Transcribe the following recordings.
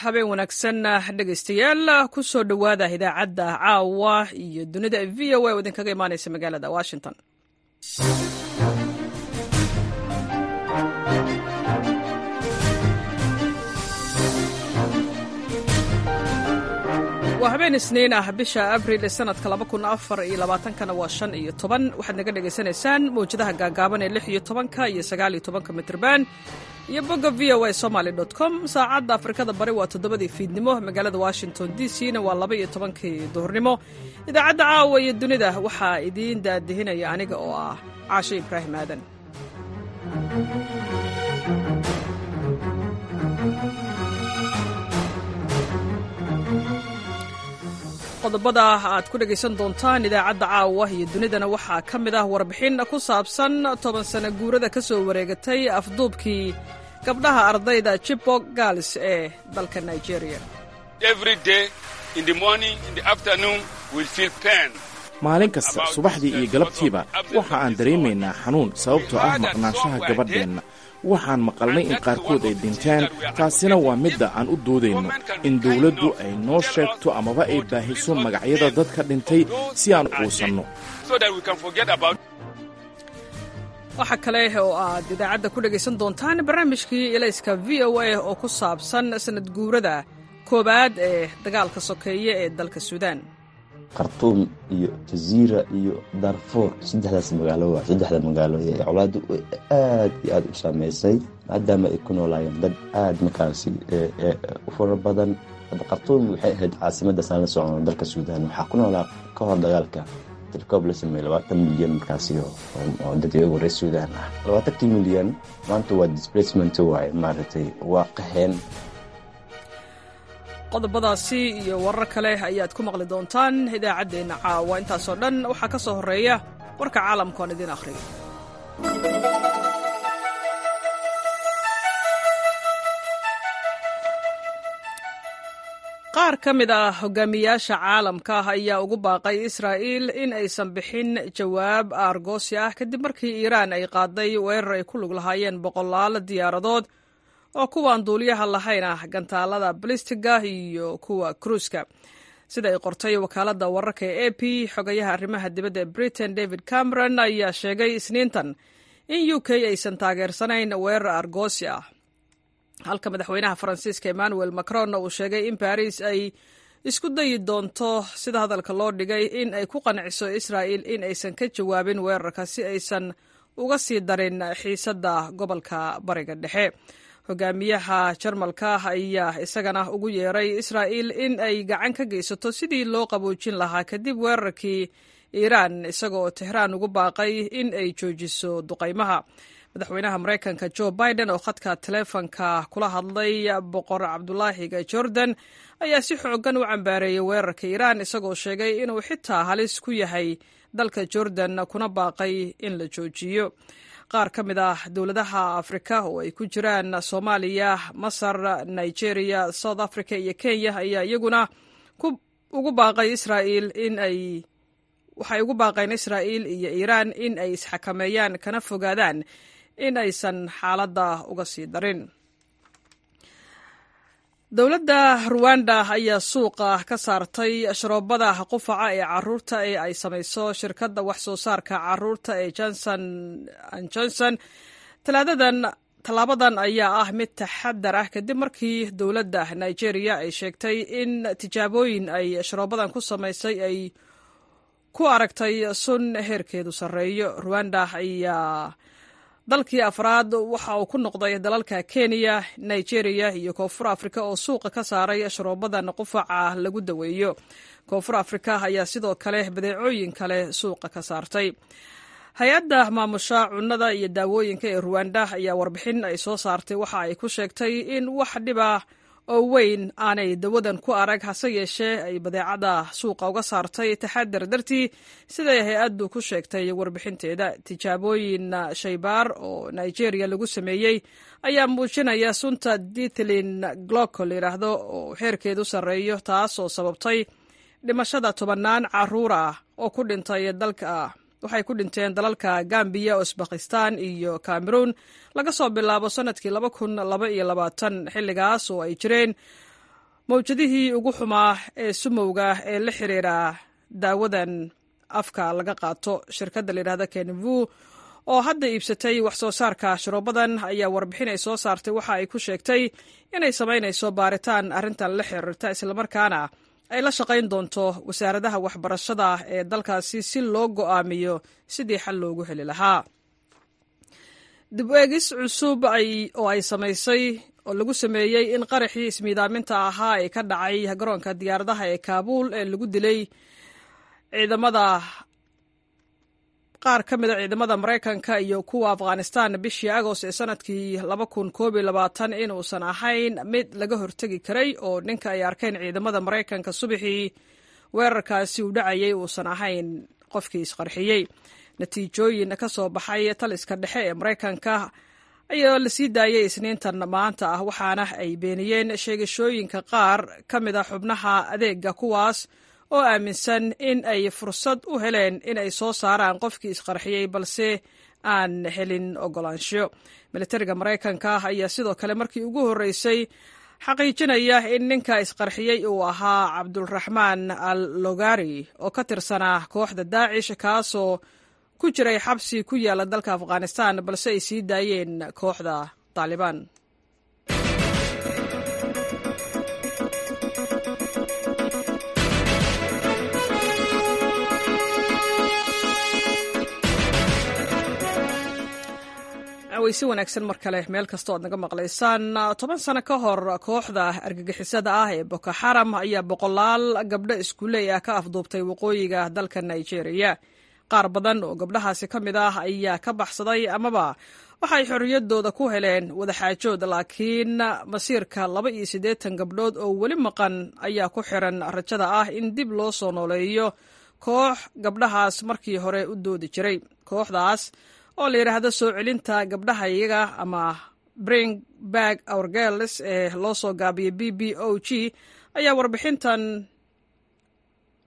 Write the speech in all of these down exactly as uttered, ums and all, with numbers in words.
Habeen wanaagsan, dhegaystayaal. Ku soo dhowaada idaacadda caawa iyo dunida V O A oo idinkaga imaanaysa magaalada Washington. Waa habeen Isniin ah, bisha Abril ee sanadka laba kun afar iyo labaatankana waa shan iyo toban. Waxaad naga dhagaysanaysaan mawjadaha gaagaaban ee lix iyo tobanka iyo sagaal iyo tobanka mitrban iyo bogga V O A Somaly dot com. Saacadda Afrikada Bari waa toddobadii fiidnimo, magaalada Washington D C na waa laba iyo tobankii duhurnimo. Idaacadda caawa iyo dunida waxaa idiin daadihinaya aniga oo ah Caashe Ibraahim Aadan. Qodobada aad ku dhegaysan doontaan idaacadda caawa iyo dunidana waxaa ka mid ah warbixin ku saabsan toban sano guurada ka soo wareegatay afduubkii gabdhaha ardayda Chibok Girls ee dalka Nigeria. Maalin kasta subaxdii iyo galabtiiba waxa aan dareemaynaa xanuun sababtoo ah maqnaanshaha gabadheenna. Waxaan maqalnay in qaarkood ay dhinteen. Taasina waa midda aan u doodayno, in dawladdu ay noo sheegto amaba ay baahiso magacyada dadka dhintay si aan quusanno. Waxaa kale oo aad idaacadda ku dhegaysan doontaan barnaamijkii Ilayska V O A oo ku saabsan sanad guurada koowaad ee dagaalka sokeeye ee dalka Suudaan. Khartuum iyo Jaziira iyo Darfuur, saddexdaas magaalo waa saddexda magaalo ee colaaddu aad iyo aad u saameysay, maadaama ay ku noolaayeen dad aad markaasi u fara badan. Hadda Khartuum waxay ahayd caasimadda saan la socono dalka Suudaan. Waxaa ku noolaa ka hor dagaalka, tilkoob la sameeyey, labaatan milyan markaasi oo dad iyagu reer Suudaan ah. Labaatankii milyan maanta waa displacement waaye, maaragtay, waa qaxeen. Qodobadaasi iyo warar kale ayaad ku maqli doontaan idaacaddeenna caawa. Intaasoo dhan waxaa ka soo horreeya warka caalamka oon idiin akhriyo. Qaar ka mid ah hogaamiyaasha caalamka ah ayaa ugu baaqay Israa'iil in aysan bixin jawaab aargoosi ah kadib markii Iiraan ay qaaday weerar ay ku lug lahaayeen boqolaal diyaaradood oo kuwaan duuliyaha lahayn ah, gantaalada balistiga iyo kuwa kruuska, sida ay qortay wakaaladda wararka ee A P. Xogayaha arrimaha dibadda ee Britain David Cameron ayaa sheegay Isniintan in U K aysan taageersanayn weerar aargoosi ah, halka madaxweynaha Faransiiska Emmanuel Macron uu sheegay in Baris ay isku dayi doonto, sida hadalka loo dhigay, in ay ku qanciso Israa'il in aysan ka jawaabin weerarka si aysan uga sii darin xiisadda gobolka Bariga Dhexe. Hogaamiyaha Jarmalka ayaa isagana ugu yeeray Israa'il in ay gacan ka geysato sidii loo qaboojin lahaa kadib weerarkii Iiraan, isagoo Tehraan ugu baaqay in ay joojiso duqaymaha. Madaxweynaha Maraykanka Joe Biden oo khadka taleefonka kula hadlay Boqor Cabdulaahiga Jordan ayaa si xoogan u cambaareeyey weerarka Iiraan, isagoo sheegay inuu xitaa halis ku yahay dalka Jordan, kuna baaqay in la joojiyo. Qaar ka mid ah dowladaha Afrika oo ay ku jiraan Soomaaliya, Masar, Nigeria, South Africa iyo Kenya ayaa iyaguna ugu baaqay Israa'iil in ay waxay ugu baaqeen Israa'iil iyo Iiraan in ay isxakameeyaan kana fogaadaan in aysan xaaladda uga sii darin. Dowladda Ruwanda ayaa suuqa ka saartay sharoobada qufaca ee caruurta ee ay samayso shirkadda wax soo saarka caruurta ee Johnson and Johnson Talaadadan. Tallaabadan ayaa ah mid taxadar ah kadib markii dowladda Nigeria ay sheegtay in tijaabooyin ay sharoobadan ku samaysay ay ku aragtay sun heerkeedu sarreeyo. Ruwanda ayaa dalkii afraad waxa uu ku noqday dalalka Kenya, Nigeria iyo Koonfur Afrika oo suuqa ka saaray sharoobadan qufaca lagu daweeyo. Koonfur Afrika ayaa sidoo kale badeecooyin kale suuqa ka saartay. Hay-adda maamusha cunnada iyo daawooyinka ee Ruwanda ayaa warbixin ay soo saartay waxa ay ku sheegtay in wax dhiba oo weyn aanay dawadan ku arag, hase yeeshee ay badeecada suuqa uga saartay taxadar dartii, siday hay-addu ku sheegtay warbixinteeda. Tijaabooyin shaybaar oo Nigeria lagu sameeyey ayaa muujinaya sunta diethylene glycol yidhaahdo oo heerkeedu sarreeyo, taasoo sababtay dhimashada tobannaan caruur ah oo ku dhintay dalka. Waxay ku dhinteen dalalka Gambiya, Usbakistan iyo Cameroon laga soo bilaabo sanadkii laba kun laba iyo labaatan, xilligaas oo ay jireen Mawjadihii ugu xumaa ee sumowga ee la xiriira daawadan afka laga qaato. Shirkadda layidhahda Kenvu oo hadda iibsatay wax soo saarka sharoobadan ayaa warbixin ay soo saartay waxa ay ku sheegtay inay samaynayso baaritaan arrintan la xiriirta, islamarkaana ay la shaqayn doonto wasaaradaha waxbarashada ee dalkaasi si loo go'aamiyo sidii xal loogu heli lahaa. Dib u eegis cusub oo ay samaysay oo lagu sameeyey in qaraxii ismiidaaminta ahaa ee ka dhacay garoonka diyaaradaha ee Kaabuul ee lagu dilay ciidamada qaar ka mid a ciidamada Maraykanka iyo kuwa Afghanistan bishii Agost ee sanadkii laba kun koob iyo labaatan inuusan ahayn mid laga hortegi karay, oo ninka ay arkeen ciidamada Maraykanka subaxii weerarkaasi uu dhacayay uusan ahayn qofkii isqarxiyey. Natiijooyin ka soo baxay taliska dhexe ee Maraykanka ayaa la sii daayay Isniintan maanta ah, waxaana ay beeniyeen sheegashooyinka qaar ka mid a xubnaha adeega, kuwaas oo aaminsan in ay fursad u heleen in ay soo saaraan qofkii isqarxiyey balse aan helin ogolaansho. Militariga Maraykanka ayaa sidoo kale markii ugu horreysay xaqiijinaya in ninka isqarxiyey uu ahaa Cabdulraxmaan al Logari oo ka tirsanaa kooxda Daacish, kaasoo ku jiray xabsi ku yaala dalka Afghanistan, balse ay sii daayeen kooxda Taalibaan. Weyse wanaagsan mar kale meel kasta oad naga maqlaysaan. Toban sano ka hor, kooxda argagixisada ah ee Boko Xaram ayaa boqolaal gabdho iskuuley ah ka afduubtay waqooyiga dalka Nigeria. Qaar badan oo gabdhahaasi ka mid ah ayaa ka baxsaday amaba waxay xorriyaddooda ku heleen wadaxaajood, laakiin masiirka laba iyo siddeetan gabdhood oo weli maqan ayaa ku xiran rajada ah in dib loo soo nooleeyo koox gabdhahaas markii hore u doodi jiray. Kooxdaas oo la yidhaahdo Soo Celinta Gabdhaha Iyaga ama Bring Back Our Girls ee loo soo gaabiyay B B O G ayaa warbixintan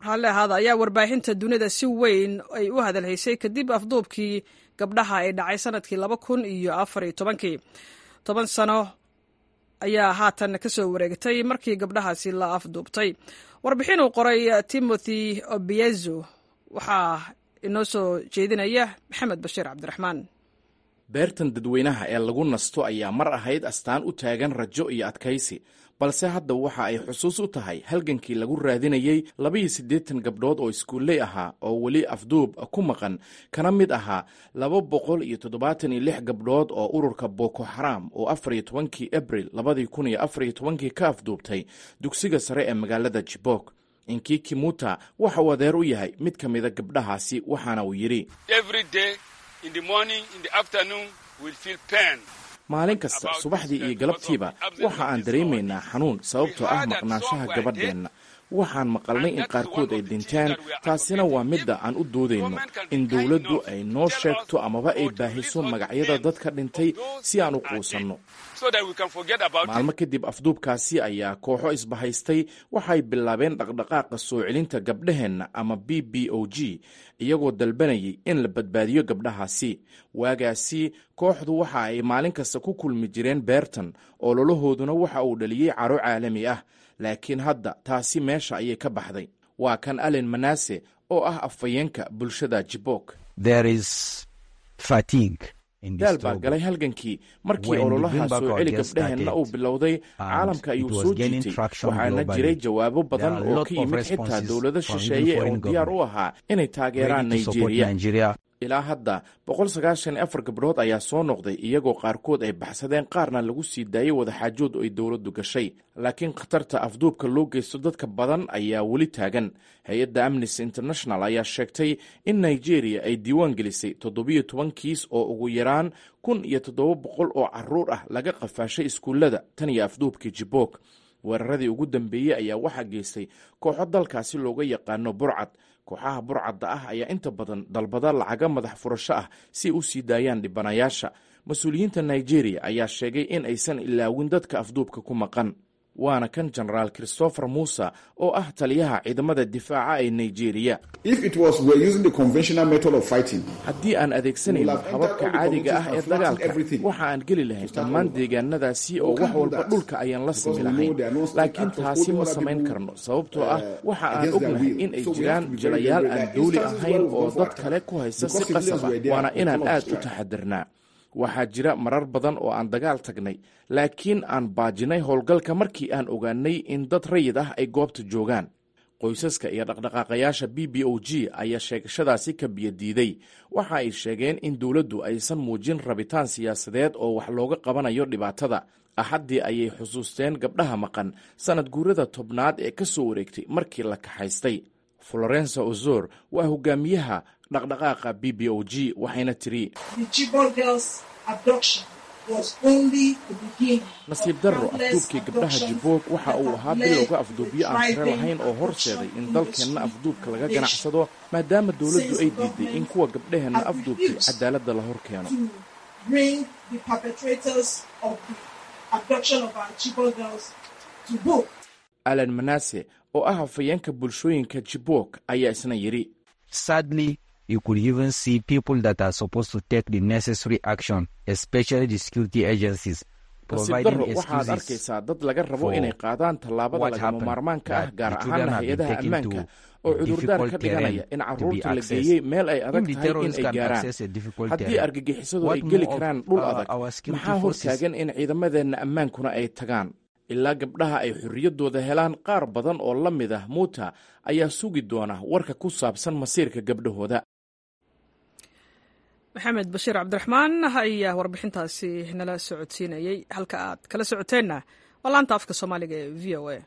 raalli ahaada ayaa warbaahinta dunida si weyn ay u hadalhaysay kadib afduubkii gabdhaha ay dhacay sanadkii laba kun iyo afar iyo tobankii. Toban sano ayaa haatan ka soo wareegtay markii gabdhahaasi la afduubtay. Warbixin uu qoray Timothy Obiezu waxaa inoo soo jeedinaya Maxamed Bashiir Cabdiraxmaan. Beertan dadweynaha ee lagu nasto ayaa mar ahayd astaan u taagan rajo iyo adkaysi, balse hadda waxa ay xusuus u tahay halgankii lagu raadinayey labaiyo siddeetan gabdhood oo iskuulley ahaa oo weli afduub ku maqan, kana mid ahaa laba boqol iyo toddobaatan iyo lix gabdhood oo ururka Boko Xaram oo afar iyo tobankii Abril labadii kun iyo afar iyo tobankii ka afduubtay dugsiga sare ee magaalada Jibok. Inkiki Muta waxa uu adeer u yahay mid ka mida gabdhahaasi, waxaana uu yidhi: "Maalin kasta subaxdii iyo galabtiiba waxa aan dareemaynaa xanuun sababtoo ah maqnaanshaha gabadheenna. Waxaan maqalnay in qaarkood ay dhinteen, taasina waa midda aan u doodayno, in dowladdu ay noo sheegto amaba ay baahiso magacyada dadka dhintay si aan u quusanno." Maalmo kadib afduubkaasi ayaa kooxo isbahaystay waxay bilaabeen dhaqdhaqaaqa Soo Celinta Gabdhaheenna ama B B O G, iyagoo dalbanayay in la badbaadiyo gabdhahaasi. Waagaasi kooxdu waxa ay maalin kasta ku kulmi jireen beertan, ololahooduna waxa uu dhaliyey caro caalami ah, laakiin hadda taasi meesha ayay ka baxday. Waa kan Allen Manase oo ah afhayeenka bulshada Jibok. "Daal baa galay halgankii. Markii ololaha Soo Celi Gabdhaheenna uu bilowday, caalamka ayuu soo jiitay, waxaana jiray jawaabo badan oo ka yimid xitaa dowlado shisheeye oo diyaar u ahaa inay taageeraan Nigeria. Ilaa hadda boqol sagaashan iyo afar gabdhood ayaa soo noqday, iyagoo qaarkood ay baxsadeen, qaarna lagu sii daayey wadaxaajood ay dowladdu gashay, laakiin khatarta afduubka loo geysto dadka badan ayaa weli taagan. Hay-adda Amnesty International ayaa sheegtay in Nigeria ay diiwaan gelisay toddobiyo toban kiis oo ugu yaraan kun iyo toddoba boqol oo caruur ah laga qafaashay iskuullada tan iyo afduubkii Jibok. Weeraradii ugu dambeeyey ayaa waxaa geystay kooxo dalkaasi looga yaqaano burcad. Kooxaha burcadda ah ayaa inta badan dalbada lacaga madax furasho ah si ay u sii daayaan dhibanayaasha. Mas-uuliyiinta Nigeria ayaa sheegay in aysan ilaawin dadka afduubka ku maqan. Waana kan Jenaraal Christopher Muuse oo ah taliyaha ciidamada difaaca ee Nigeria. Haddii aan adeegsanayno hababka caadiga ah ee dagaalka, waxa aan geli lahayn dhammaan deegaanadaasi oo wax walba dhulka ayaan la simi lahayn, laakiin taasi ma samayn karno, sababtoo ah waxa aan ognahay in ay jiraan jilayaal aan dawli ahayn oo dad kale ku haysta si qasab ah, waana inaan aad u taxadirnaa. Waxaa jira marar badan oo aan dagaal tagnay, laakiin aan baajinay howlgalka markii aan ogaanay in dad rayid ah ay goobta joogaan. Qoysaska iyo dhaqdhaqaaqayaasha B B O G ayaa sheegashadaasi ka biyadiiday. Waxa ay sheegeen in dowladdu aysan muujin rabitaan siyaasadeed oo wax looga qabanayo dhibaatada. Axaddii ayay xusuusteen gabdhaha maqan sanad guurada tobnaad ee ka soo wareegtay markii la kaxaystay. Florensa Ozor waa hogaamiyaha dhaqdhaqaaqa B B O G, waxayna tiri: "Nasiib darro, afduubkii gabdhaha Jiboog waxa uu ahaa bilowga afduubyo aan tiro lahayn oo horseeday in dalkeenna afduubka laga ganacsado, maadaama dowladdu ay diiday in kuwa gabdhaheenna afduubtay cadaaladda la hor keeno." Alan Manase oo ah hafayeenka bulshooyinka Jiboog ayaa isna yidhi: You could even see people that are supposed to take the necessary action, especially the security agencies. Nasiib darro, waxaad arkaysaa dad laga rabo inay qaadaan tallaabada lagama maarmaanka ah, gaar ahaana hay-adaha ammaanka, oo cudurdaar ka dhiganaya in carruurta la geeyey meel ay adag tahay in ay gaaraan. Haddii argagixisadu ay geli karaan dhul adag, maxaa hortaagan in ciidamadeenna ammaankuna ay tagaan? Ilaa gabdhaha ay xorriyaddooda helaan, qaar badan oo la mid ah Muuta ayaa sugi doona warka ku saabsan masiirka gabdhahooda. Maxamed Bashiir Cabdiraxmaan ayaa warbixintaasi nala socodsiinayey. Halka aad kala socoteenna waa laanta afka Soomaaliga ee V O A.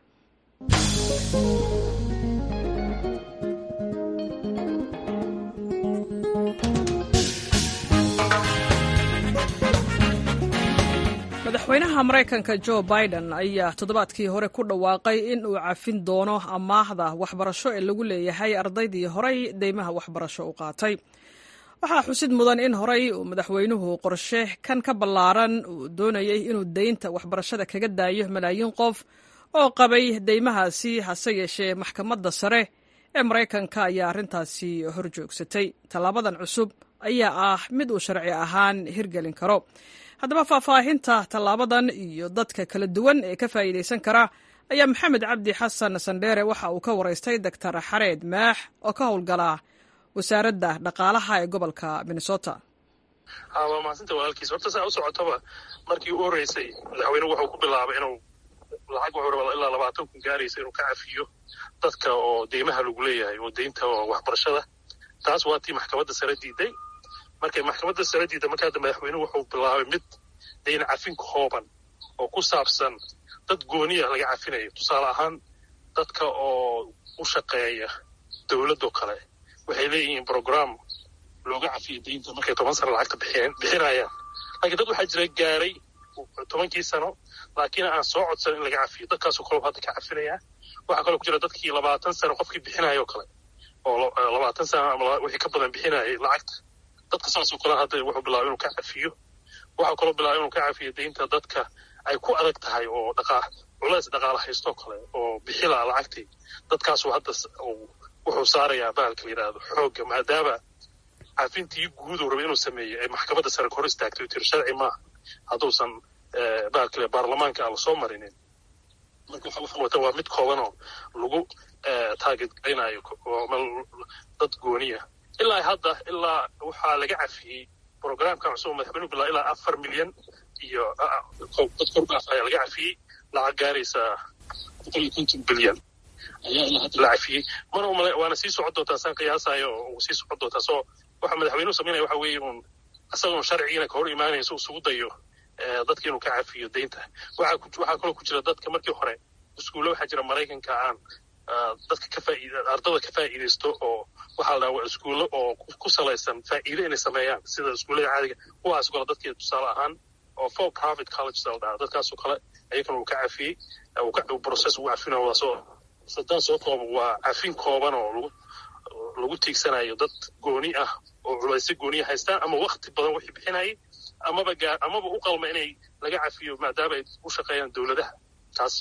Madaxweynaha Maraykanka Jo Biden ayaa toddobaadkii hore ku dhawaaqay in uu cafin doono amaahda waxbarasho ee lagu leeyahay ardaydii horay deymaha waxbarasho u qaatay. Waxaa xusid mudan in horey uu madaxweynuhu qorshe kan ka ballaaran uu doonayey inuu deynta waxbarashada kaga daayo malaayiin qof oo qabay deymahaasi, hase yeeshee maxkamadda sare ee Maraykanka ayaa arrintaasi horjoogsatay. Tallaabadan cusub ayaa ah mid uu sharci ahaan hirgelin karo. Haddaba, faahfaahinta tallaabadan iyo dadka kala duwan ee ka faa'iidaysan kara ayaa Maxamed Cabdi Xasan Sandheere waxa uu ka waraystay Doctor Xareed Maax oo ka howlgala wasaaradda dhaqaalaha ee gobolka Minnesota. Waa mahadsanta walaalkiis. Horta saa u socotaba, markii u horreysay madaxweynuhu wuxuu ku bilaabay inuu lacag wuxuu rabaa ilaa labaatan kun gaaraysa inuu ka cafiyo dadka oo deymaha lagu leeyahay oo deynta oo waxbarashada. Taas waa tii maxkamadda sare diiday. Markay maxkamadda sare diiday, marka hadda madaxweynuhu wuxuu bilaabay mid deyn cafin kooban oo ku saabsan dad gooniya laga cafinayo. Tusaale ahaan, dadka oo u shaqeeya dowladoo kale waxay leeyihiin program looga cafiyo deynta markay toban sano lacagta bixiyeen bixinayaan. Laakiin dad waxaa jira gaaray tobankii sano laakiin aan soo codsan in laga cafiyo. Dadkaasoo kale hadda ka cafinayaa. Waxaa kaloo ku jira dadkii labaatan sano qofkii bixinayo o kale, oo labaatan sano ama wixii ka badan bixinayay lacagta. Dadka saasoo kale hadda wuxuu bilaabay inuu ka cafiyo. Waxaa kaloo bilaabay inuu ka cafiyo deynta dadka ay ku adag tahay oo dhaqaa culays dhaqaala haystoo kale oo bixilaa lacagtii. Dadkaasuu hadda wuxuu saarayaa bahalka la yidhaahdo xoogga, maadaama cafintii guud uu rabay inuu sameeyo ay maxkamadda sare ka hor istaagtay oo tiri sharci maaha hadduusan bahalka la baarlamaanka aan lasoo marinin. Marka waxa wata waa mid koobanoo lagu target garaynayo dad gooniya. Ilaa hadda ilaa waxaa laga cafiyey programkan cusub madaxweynuhu bilaa ilaa afar milyan iyo dad kor dhaaf ayaa laga cafiyey. Lacag gaaraysa boqol iyo konton bilyan ayaa ilaa hadda la cafiyey. Mana umale waana sii socon doontaa saan qiyaasayo, uu sii socon doontaa. Soo waxa madaxweynuhu samaynaya waxa weeye uun isagoon sharcigiina ka hor imaanayso isugu dayo dadka inuu ka cafiyo deynta. Waxaa waxaa kaloo ku jira dadka markii hore iskuulla waxaa jira Maraykanka aan dadka ka faaid ardada ka faa'iidaysto, oo waxaa la dhaha waa iskuullo oo ku salaysan faa'iido inay sameeyaan sida iskuullada caadiga. Kuwaas kale dadkii tusaale ahaan oo for profit colleges la dhahaa, dadkaasoo kale ayagana uu ka cafiyey, process ugu cafinayo. Waa soo sadaan soo kooban, waa cafin kooban oo lagu lagu tiigsanayo dad gooni ah oo culaysyo gooniya haystaan ama wakti badan wixii bixinayay amaba gaa amaba u qalma inay laga cafiyo maadaama ay u shaqeeyaan dowladaha taas.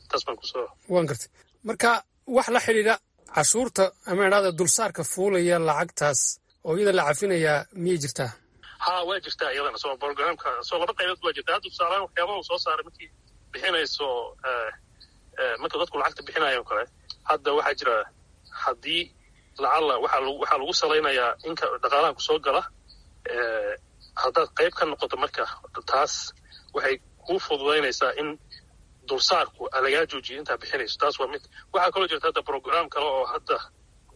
Taas baan kusoo waan gartay. Marka wax la xidhiidha cashuurta ama idhahda dulsaarka fuulaya lacagtaas oo iyada la cafinayaa miyay jirtaa? Ha, waa jirtaa iyadana. Soo programka soo laba qaybood waa jirtaa. Hadda tusaalahaan waxyaabaha uu soo saaray markii bixinayso, marka dadku lacagta bixinayo kale, hadda waxaa jira haddii lacalla waxaa lagu waxaa lagu salaynayaa inka dhaqaalaha kusoo gala haddaad qayb ka noqoto. Marka taas waxay kuu fududaynaysaa in dulsaarku lagaa joojiyo intaa bixinayso. Taas waa mid. Waxaa kaloo jirta hadda program kale oo hadda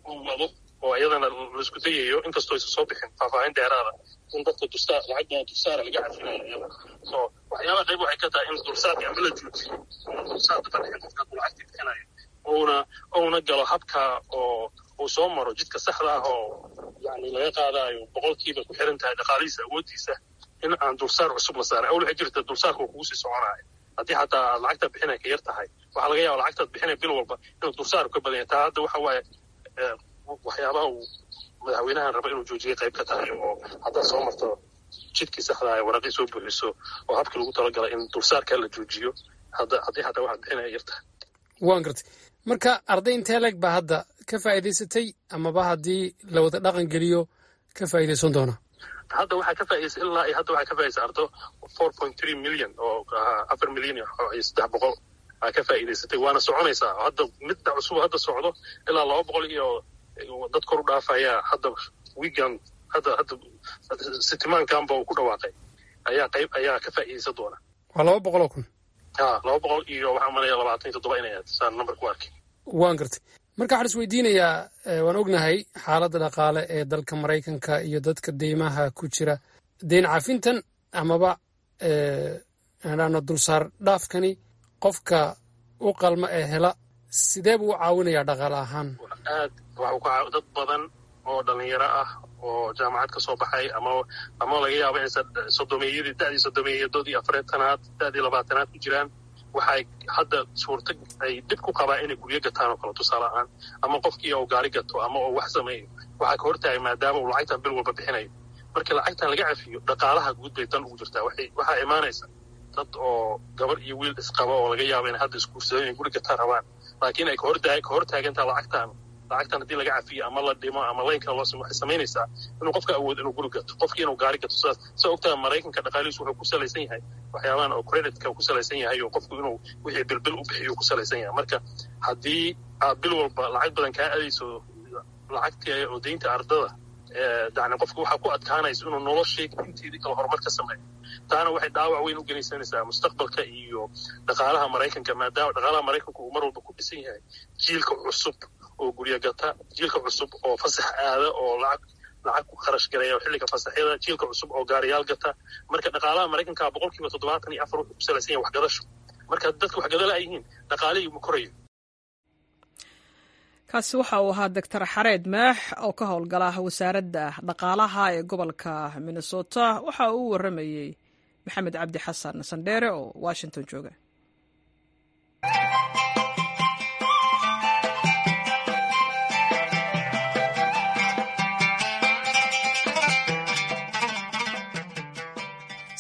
uu wado oo iyadana laisku dayayo, inkastoo aysan soo bixin faahfaahin dheeraada, in dadka dulsaar lacag badan dulsaara laga cafinayo iyada. So waxyaabaha qayb waxay ka tahay in dulsaarka ama la joojiyo ama dulsaarka ka dhixin qofka hadduu lacagtii bixinayo, uuna uuna galo habka oo uu soo maro jidka saxda ah oo yani laga qaadaayo boqolkiiba ku xiran tahay dhaqaalihiisa awooddiisa, in aan dulsaar cusub la saarin. Awl waxay jirta dulsaarka uu kugu sii soconaayo haddii xataa aad lacagtaad bixinay ka yar tahay, waxaa laga yaaba lacagtaad bixinay bil walba inuu dulsaarku ka badan yahay. Taa hadda waxa waaye waxyaabaha uu madaxweynahan raba inuu joojiyay qayb ka tahay, oo haddaad soo marto jidkii saxda ah, waraqii soo buuxiso oo habkii lagu talagalay, in dulsaarkaa la joojiyo hadda haddii xataa waxaad bixinaya yar tahay. Waan gartay. Marka arday intee leeg baa hadda ka faa'iidaysatay amaba haddii la wada dhaqan geliyo ka faa'iidaysan doona? Hadda waxaa ka faa'idaysay, ilaa iyo hadda waxaa ka faa'idaysay ardo four point three million oo afar milyan iyo saddex boqol aa ka faa'iidaysatay, waana soconaysaa. Hadda midda cusub hadda socdo ilaa laba boqol iyo dad kor u dhaafayaa hadda wigan hadda hadda sitimaankanba uu ku dhawaaqay ayaa qayb ayaa ka faa'iidaysan doona. Waa laba boqol oo kun? Ha, laba boqol iyo waxaan malaya labaatan iyo toddoba inay ahayd saan number ku arkay. Waan gartay. Marka waxaan is weydiinayaa, waan ognahay xaaladda dhaqaale ee dalka Maraykanka iyo dadka deymaha ku jira, deyn cafintan amaba aano dulsaar dhaafkani qofka u qalma ee hela sidee buu u caawinayaa dhaqaale ahaan? Aad waxuu ka dad badan oo dhalinyaro ah oo jaamacad ka soo baxay ama ama laga yaabo inaysa sodomeeyadii da'dii sodomeeyadood iyo afareetanaad da'dii labaatanaad ku jiraan, waxay hadda suurta ay dhib ku qabaa inay guryo gataan oo kale tusaale ahaan, ama qofkii uu gaari gato ama uu wax sameeyo, waxaa ka hortaagay maadaama uu lacagtan bil walba bixinayo. Marka lacagtan laga cafiyo, dhaqaalaha guud bay dan ugu jirtaa. Waxay waxaa imaanaysa dad oo gabar iyo wiil isqaba oo laga yaabo inay hadda isguursadeen inay guri gataan rabaan, laakiin ay kahortaa ka hortaagantaa lacagtan. Lacagtan haddii laga cafiyo ama la dhimo ama laynka loo simo, waxay samaynaysaa inuu qofka awood inuu guri gato, qofkii inuu gaari gato. Sidaas saa ogtaha Maraykanka dhaqaalihiisu wuxuu ku salaysan yahay waxyaabahan oo creditka ku salaysan yahay, oo qofku inuu wixii bilbil u bixiyo ku salaysan yahay. Marka haddii aad bil walba lacag badan kaa adayso lacagtii oo deynta ardada, yani qofka waxaa ku adkaanaysa inuu noloshii inteedii kale horumar ka sameeyo. Taana waxay dhaawac weyn u genaysanaysaa mustaqbalka iyo dhaqaalaha Maraykanka, maadaama dhaqaalaha Maraykanka uu mar walba ku dhisan yahay jiilka cusub oo guryo gata, jiilka cusub oo fasax aada oo lacag lacag ku kharash gareeya xilliga fasaxyada, jiilka cusub oo gaariyaal gata. Marka dhaqaalaha Maraykanka boqolkiiba toddobaatan iyo afar wuxuu ku salaysan yahay waxgadasho. Marka dadka waxgada la yihiin, dhaqaalihii ma korayo. Kaasi waxa uu ahaa Doctor Xareed Maax oo ka howlgala wasaaradda dhaqaalaha ee gobolka Minnesota. Waxa uu u waramayey Maxamed Cabdi Xasan Sandheere oo Washington jooga.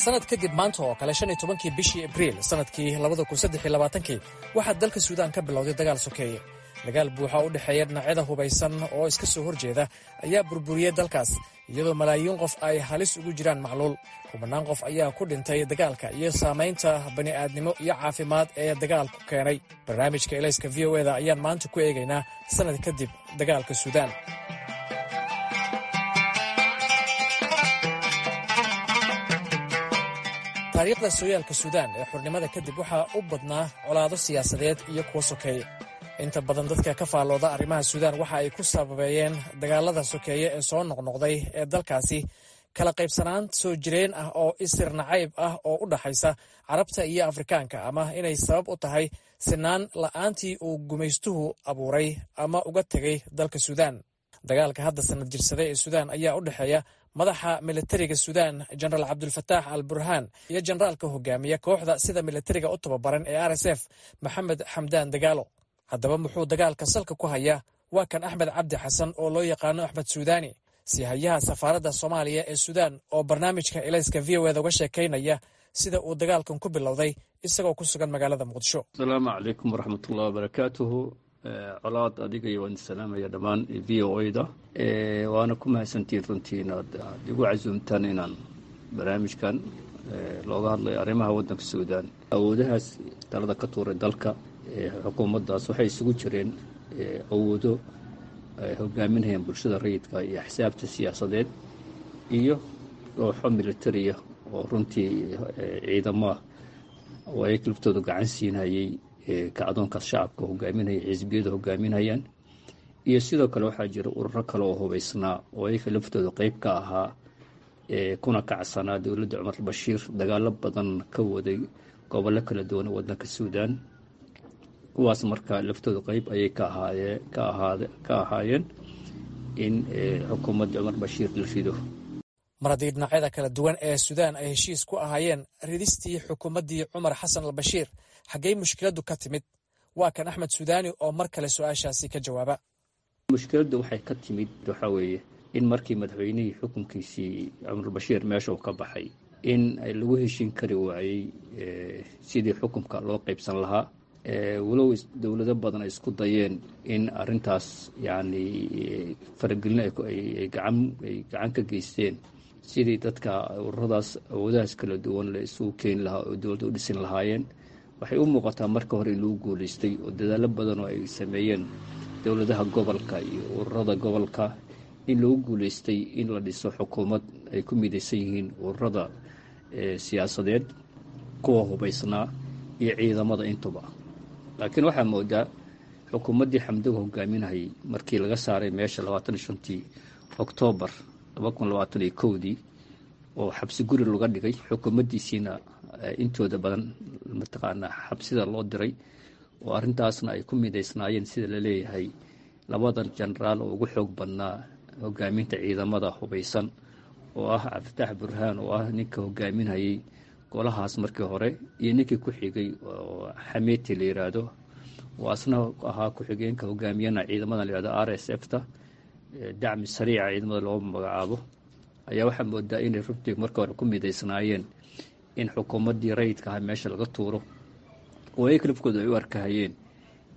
Sanad kadib maanta oo kale, shan iyo tobankii bishii Abriil sanadkii labada kun saddex iyo labaatankii, waxaa dalka Suudaan ka bilowday dagaal sokeeye. Dagaal buuxa u dhexeeya dhinacyada hubaysan oo iska soo horjeeda ayaa burburiyey dalkaas, iyadoo malaayiin qof ay halis ugu jiraan macluul. Kubanaan qof ayaa ku dhintay dagaalka iyo saamaynta bani'aadnimo iyo caafimaad ee dagaalku keenay. Barnaamijka Elayska V O eda ayaan maanta ku eegaynaa sanad kadib dagaalka Suudaan. Taariikhda sooyaalka Suudaan ee xurnimada kadib waxaa u badnaa colaado siyaasadeed iyo kuwo sokeeye. Inta badan dadka ka faallooda arrimaha Suudaan waxa ay ku sababeeyeen dagaalada sokeeye ee soo noqnoqday ee dalkaasi kala qaybsanaan soo jireen ah oo isir nacayb ah oo u dhaxaysa Carabta iyo Afrikaanka, ama inay sabab u tahay sinaan la'aantii uu gumaystuhu abuuray ama uga tegay dalka Suudaan. Dagaalka hadda sanad jirsada ee Suudaan ayaa u dhexeeya madaxa militariga Suudaan, Jenaraal Cabdulfataax al Burhaan, iyo jenaraalka hogaamiya kooxda sida militariga u tababaran ee R S F, Maxamed Xamdaan Dagaalo. Haddaba muxuu dagaalka salka ku hayaa? Waa kan Axmed Cabdi Xasan oo loo yaqaano Axmed Suudaani, siihayaha safaaradda Soomaaliya ee Suudaan, oo barnaamijka Elayska V O eda uga sheekaynaya sida uu dagaalkan ku bilowday, isagoo ku sugan magaalada Muqdisho. Asalaamu calaykum waraxmatullahi wabarakaatuhu. Colaad, adiga iyo waan salaamaya dhammaan V O A da, waana ku mahadsantihiin runtii inaad aad igu casuumtaan inaan barnaamijkan looga hadlayo arrimaha waddanka Suudaan. Awoodahaas talada ka tuuray dalka xukuumaddaas waxay isugu jireen awoodo ay hogaaminayaan bulshada rayidka iyo axsaabta siyaasadeed iyo kooxo militariya oo runtii ciidamaha oo ay laftooda gacan siinayay kacdoonkaas shacabka hogaaminaya, xisbiyada hogaaminayaan. Iyo sidoo kale waxaa jira ururo kale oo hubaysnaa oo ayaga laftooda qeyb ka ahaa, kuna kacsanaa dowladda Cumar Bashiir, dagaalo badan ka waday gobollo kala duwan waddanka Suudaan. Kuwaas marka laftooda qeyb ayay ka ahaayeen ka ahaad ka ahaayeen in xukuumadda Cumar Bashiir la rido. Mar haddii dhinacyada kala duwan ee Suudaan ay heshiis ku ahaayeen ridistii xukuumaddii Cumar Xasan al Bashiir, xaggey mushkiladdu ka timid? Waa kan Axmed Suudaani oo mar kale su-aashaasi ka jawaaba. Mushkiladdu waxay ka timid waxaa weeye in markii madaxweynihii xukunkiisii Cumar Bashiir meesha uu ka baxay, in lagu heshiin kari waayey sidii xukunka loo qaybsan lahaa, walow dowlado badan ay isku dayeen in arrintaas yacni faragelin ay gacan ay gacan ka geysteen sidii dadka ururadaas awoodahaas kala duwan la isugu keeni lahaa oo dowladda u dhisin lahaayeen. Waxay u muuqataa marka hore in lagu guulaystay oo dadaalo badan oo ay sameeyeen dowladaha gobolka iyo ururada gobolka in lagu guulaystay in la dhiso xukuumad ay ku midaysan yihiin ururada siyaasadeed, kuwa hubaysnaa iyo ciidamada intuba. Laakiin waxaa moodaa xukuumaddii Xamdoog hogaaminayay markii laga saaray meesha labaatan iyo shantii Oktoobar laba kun labaatan iyo kowdii oo xabsi guri laga dhigay, xukuumaddiisiina intooda badan mataqaanaa xabsida loo diray, oo arrintaasna ay ku midaysnaayeen sida la leeyahay labadan jenaraal oo ugu xoog badnaa hogaaminta ciidamada hubaysan, oo ah Cabdifatax Burhaan oo ah ninka hogaaminayay golahaas markii hore, iyo ninkii ku xigay oo Xameti la yiraahdo, oo asna ahaa ku-xigeenka hogaamiyana ciidamadan la yihahdo R S F ta, dacmi sariica ciidamada loo magacaabo. Ayaa waxaa moodaa inay runtii marka hore ku midaysnaayeen in xukuumaddii rayidka ahaa meesha laga tuuro, oo ay lafkooda ay u arkahayeen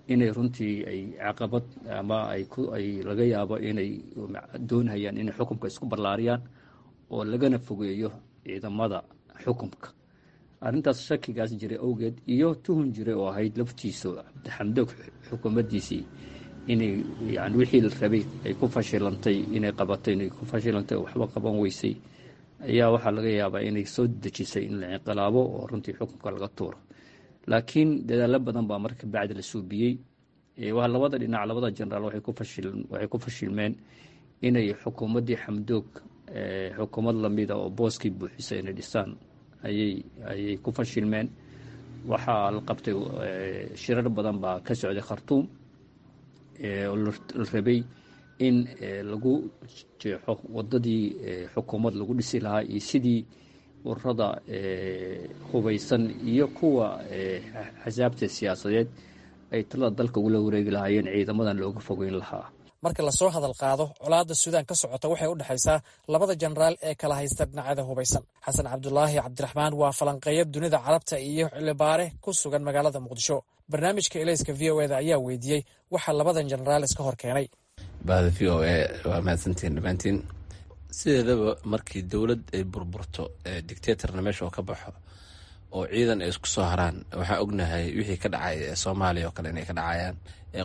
inay runtii ay caqabad ama ay ku ay laga yaabo inay doonhayaan inay xukunka isku ballaariyaan oo lagana fogeeyo ciidamada xukunka. Arrintaas shakigaas jiray awgeed iyo tuhun jiray oo ahayd laftiisu Xamdoog xukuumaddiisii inay yani wixii la rabay ay ku fashilantay inay qabatay, inay ku fashilantay oo waxba qaban weysay, ayaa waxaa laga yaabaa inay soo dejisay in la inqilaabo oo runtii xukunka laga tuuro. Laakiin dadaalo badan baa marka bacdi la suubiyey. Waa labada dhinac, labada jenaraal waxay ku fashil waxay ku fashilmeen inay xukuumaddii Xamdoog xukuumad lamida oo booskii buuxisay inay dhisaan ayay ayay ku fashilmeen. Waxaa la qabtay shirar badan baa ka socday Khartuum oo la rabay in lagu jeexo wadadii xukuumad lagu dhisi lahaa iyo sidii ururada hubaysan iyo kuwa axsaabta siyaasadeed ay talada dalka ugula wareegi lahaayeen, ciidamadan looga fogeyn lahaa. Marka lasoo hadal qaado colaadda Suudaan ka socota, waxay u dhexaysaa labada jenaraal ee kala haysta dhinacyada hubaysan. Xasan Cabdulaahi Cabdiraxmaan waa falanqeeya dunida Carabta iyo xildhibaane ku sugan magaalada Muqdisho. Barnaamijka Elayska V O A da ayaa weydiiyey waxaa labadan jenaraal iska hor keenay. Bahda V O A, waa mahadsantihiin dhammaantiin. Sideedaba markii dowlad ay burburto, dictatorna meesha oo ka baxo oo ciidan ay isku soo haraan, waxaan ognahay wixii ka dhacay Soomaaliya oo kale inay ka dhacayaan,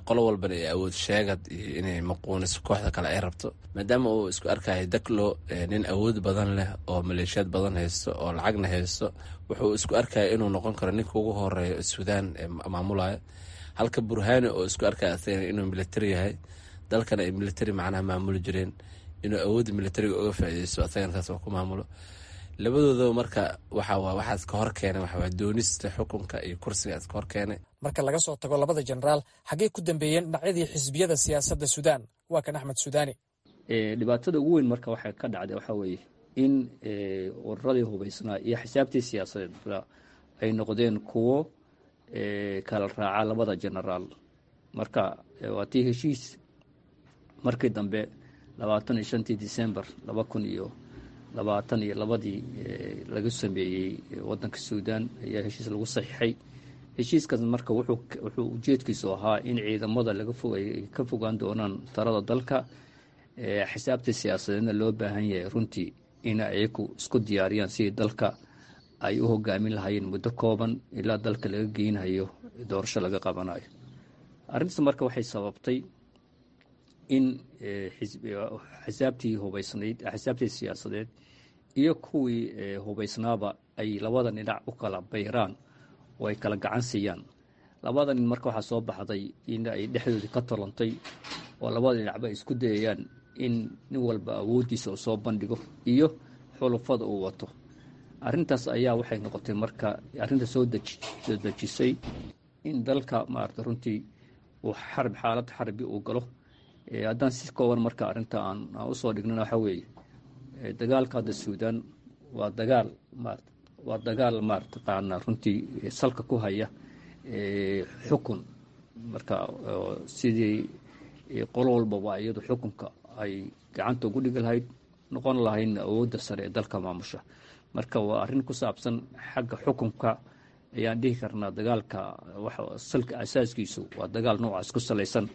qolo walbana ay awood sheegad iyo inay maquuniso kooxda kale ay rabto. Maadaama uu isku arkayo Daklo nin awood badan leh oo maleeshiyaad badan haysto oo lacagna haysto, wuxuu isku arkaya inuu noqon karo ninka ugu horeeya Suudaan maamulaya, halka Burhani oo isku arkaya asagana inuu military yahay, dalkana ay military macnaha maamuli jireen, inuu awoodda militariga uga faaideysto, asagana saas oo ku maamulo labadoodaba. Marka waxa waxaas ka hor keenay waxawaa doonista xukunka iyo kursiga iska hor keenay. Marka laga soo tago labada jenaraal, xaggey ku dambeeyeen dhinacyadii xisbiyada siyaasadda Suudaan? Waa kan Axmed Suudaani. Dhibaatada ugu weyn marka waxay ka dhacday waxaa weeye in ururadii hubaysnaa iyo axsaabtii siyaasadeedba ay noqdeen kuwo kala raaca labada jenaraal. Marka waa tii heshiis markii dambe labaatan iyo shantii December laba kun iyo labaatan iyo labadii laga sameeyey wadanka Suudaan ayaa heshiis lagu saxiixay. Heshiiskaas marka wuxuu wuxuu ujeedkiisu ahaa in ciidamada laga fogay ka fogaan doonaan talada dalka, xisaabta siyaasadeedna loo baahan yahay runtii in ayaku isku diyaariyaan sidii dalka ay u hogaamin lahaayeen muddo kooban ilaa dalka laga geynayo doorasho laga qabanayo. Arrintaas marka waxay sababtay in xisaabtii hubaysnayd, xisaabtii siyaasadeed iyo kuwii hubaysnaaba ay labada dhinac u kala bayraan oo ay kala gacan siiyaan. Labada nin marka waxaa soo baxday in ay dhexdoodii ka tolantay oo labada dhinacba ay isku dayayaan in nin walba awooddiisa uu soo bandhigo iyo xulufada uu wato. Arrintaas ayaa waxay noqotay marka arrinta soo soo dejisay in dalka maarata runtii uu xarb xaalad xarbi uu galo. Haddaan si kooban marka arrinta aan aan usoo dhignana waxaa weeye, dagaalka hadda Suudaan waa dagaal maarata waa dagaal maarataqaana runtii salka ku haya xukun. Marka sidii qolo walbaba iyadu xukunka ay gacanta ugu dhigi lahayd, noqon lahaydna awoodda sare ee dalka maamusha. Marka waa arrin ku saabsan xagga xukunka ayaan dhihi karnaa. Dagaalka waxa salka asaaskiisu waa dagaal noocaas ku salaysan,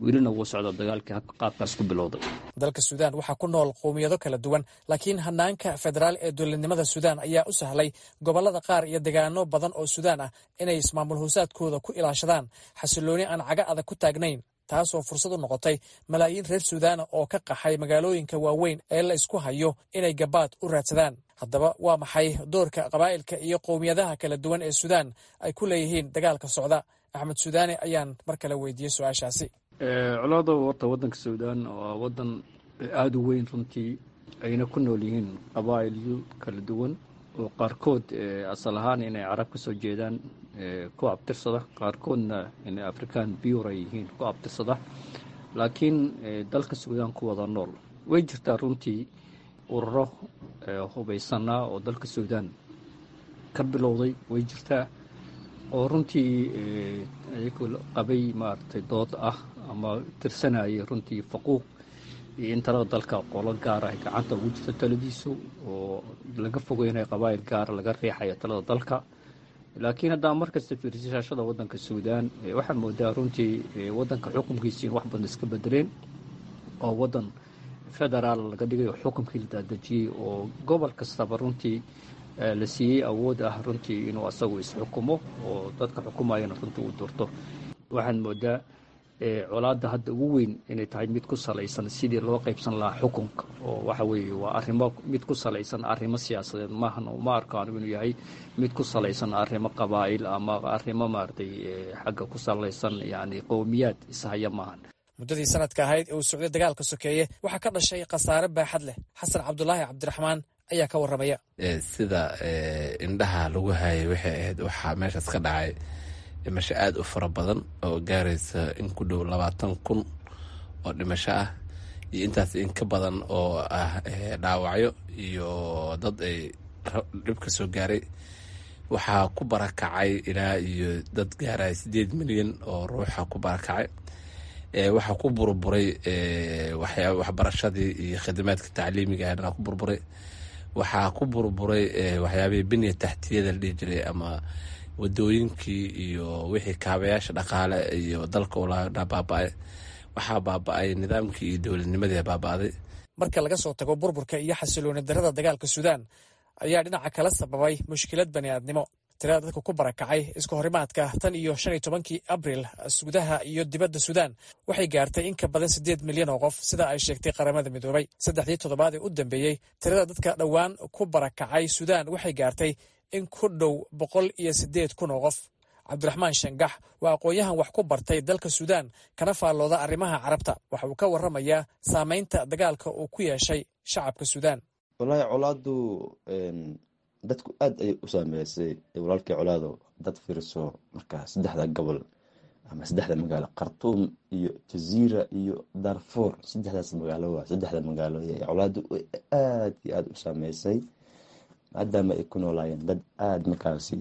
welina wuu socda dagaalkii qaabkaas ku bilowday. Dalka Suudaan waxaa ku nool qowmiyado kala duwan, laakiin hanaanka federaal ee dowladnimada Suudaan ayaa u sahlay gobollada qaar iyo degaano badan oo Suudaan ah inay ismaamul hoosaadkooda ku ilaashadaan xasilooni aan caga adag ku taagnayn, taasoo fursad u noqotay malaayiin reer Suudaana oo ka qaxay magaalooyinka waaweyn ee la isku hayo inay gabaad u raadsadaan. Haddaba waa maxay doorka qabaa'ilka iyo qowmiyadaha kala duwan ee Suudaan ay ku leeyihiin dagaalka socda? Axmed Suudaani ayaan mar kale weydiiyey su-aashaasi. Colaado horta waddanka Suudaan waa waddan aada u weyn runtii, ayna ku nool yihiin qabaa'ilyo kala duwan oo qaarkood asal ahaan inay carab ka soo jeedaan ku abtirsada, qaarkoodna inay African bure ay yihiin ku abtirsada, laakiin dalka Suudaan ku wada nool. Way jirtaa runtii ururo hubaysanaa oo dalka Suudaan ka bilowday, way jirtaa oo runtii iyagu qabay maaragtay dood ah ama tirsanayay runtii faquuq iyo in talada dalka qolo gaara ay gacanta ugu jirto taladiisu, oo laga fogeynayo qabaa'il gaara laga riixayo talada dalka. Laakiin haddaa markasta fiirsi shaashada waddanka Suudaan, waxaa moodaa runtii waddanka xukunkiisi in wax badan iska bedeleen oo waddan federaal laga dhigay oo xukunkii la daadejiyey oo gobol kastaba runtii la siiyey awood ah runtii inuu asagu isxukumo oo dadka xukumayana runtii uu doorto. Waxaan moodaa colaadda hadda ugu weyn inay tahay mid ku salaysan sidii loo qaybsan lahaa xukunka, oo waxa weeye waa arrimo mid ku salaysan arrimo siyaasadeed maahan. Ma arko anigu inuu yahay mid ku salaysan arrimo qabaa'il ama arrimo maaragtay xagga ku salaysan, yacni qowmiyaad ishaya maahan. Muddadii sanadka ahayd ee uu socday dagaalka sokeeye waxaa ka dhashay khasaare baaxad leh. Xasan Cabdulaahi Cabdiraxmaan ayaa ka warramaya. Sida indhaha lagu hayay waxay ahayd waxaa meeshaas ka dhacay dhimasho aada u fara badan oo gaaraysa in ku dhow labaatan kun oo dhimasho ah iyo intaas in ka badan oo ah dhaawacyo iyo dad ay dhib ka soo gaaray. Waxaa ku barakacay ilaa iyo dad gaaraya sideed milyan oo ruuxa ku barakacay. Waxaa ku burburay waxbarashadii iyo khidmaadka tacliimiga ahna ku burburay. Waxaa ku burburay waxyaabihii binya taxtiyada la dhihi jiray ama wadooyinkii iyo wixii kaabayaasha dhaqaale iyo dalka ulaa baaba-ay. Waxaa baaba-ay nidaamkii iyo dowladnimadii baaba-day. Marka laga soo tago burburka iyo xasilooni darada dagaalka Suudaan ayaa dhinaca kala sababay mushkilad bani'aadnimo. Tirada dadka ku barakacay iska horimaadka tan iyo shan iyo tobankii Abril gudaha iyo dibadda Suudaan waxay gaartay in ka badan siddeed milyan oo qof, sida ay sheegtay Qaramada Midoobay. Saddexdii toddobaad ee u dambeeyey tirada dadka dhowaan ku barakacay Suudaan waxay gaartay in ku dhow boqol iyo siddeed kun oo qof. Cabdiraxmaan Shangax waa aqoon-yahan wax ku bartay dalka Suudaan kana faallooda arrimaha Carabta. Waxa uu ka warramayaa saameynta dagaalka uu ku yeeshay shacabka Suudaan. Wallaahi colaadu dadku aada ayay u saameysay walaalkii. Colaado dad fiirso marka saddexda gobol ama saddexda magaalo, Khartuum iyo Jaziira iyo Darfuur, saddexdaas magaalo waa saddexda magaalo ee colaadu aada iyo aada u saameysay, maadaama ay ku noolaayeen dad aada markaasi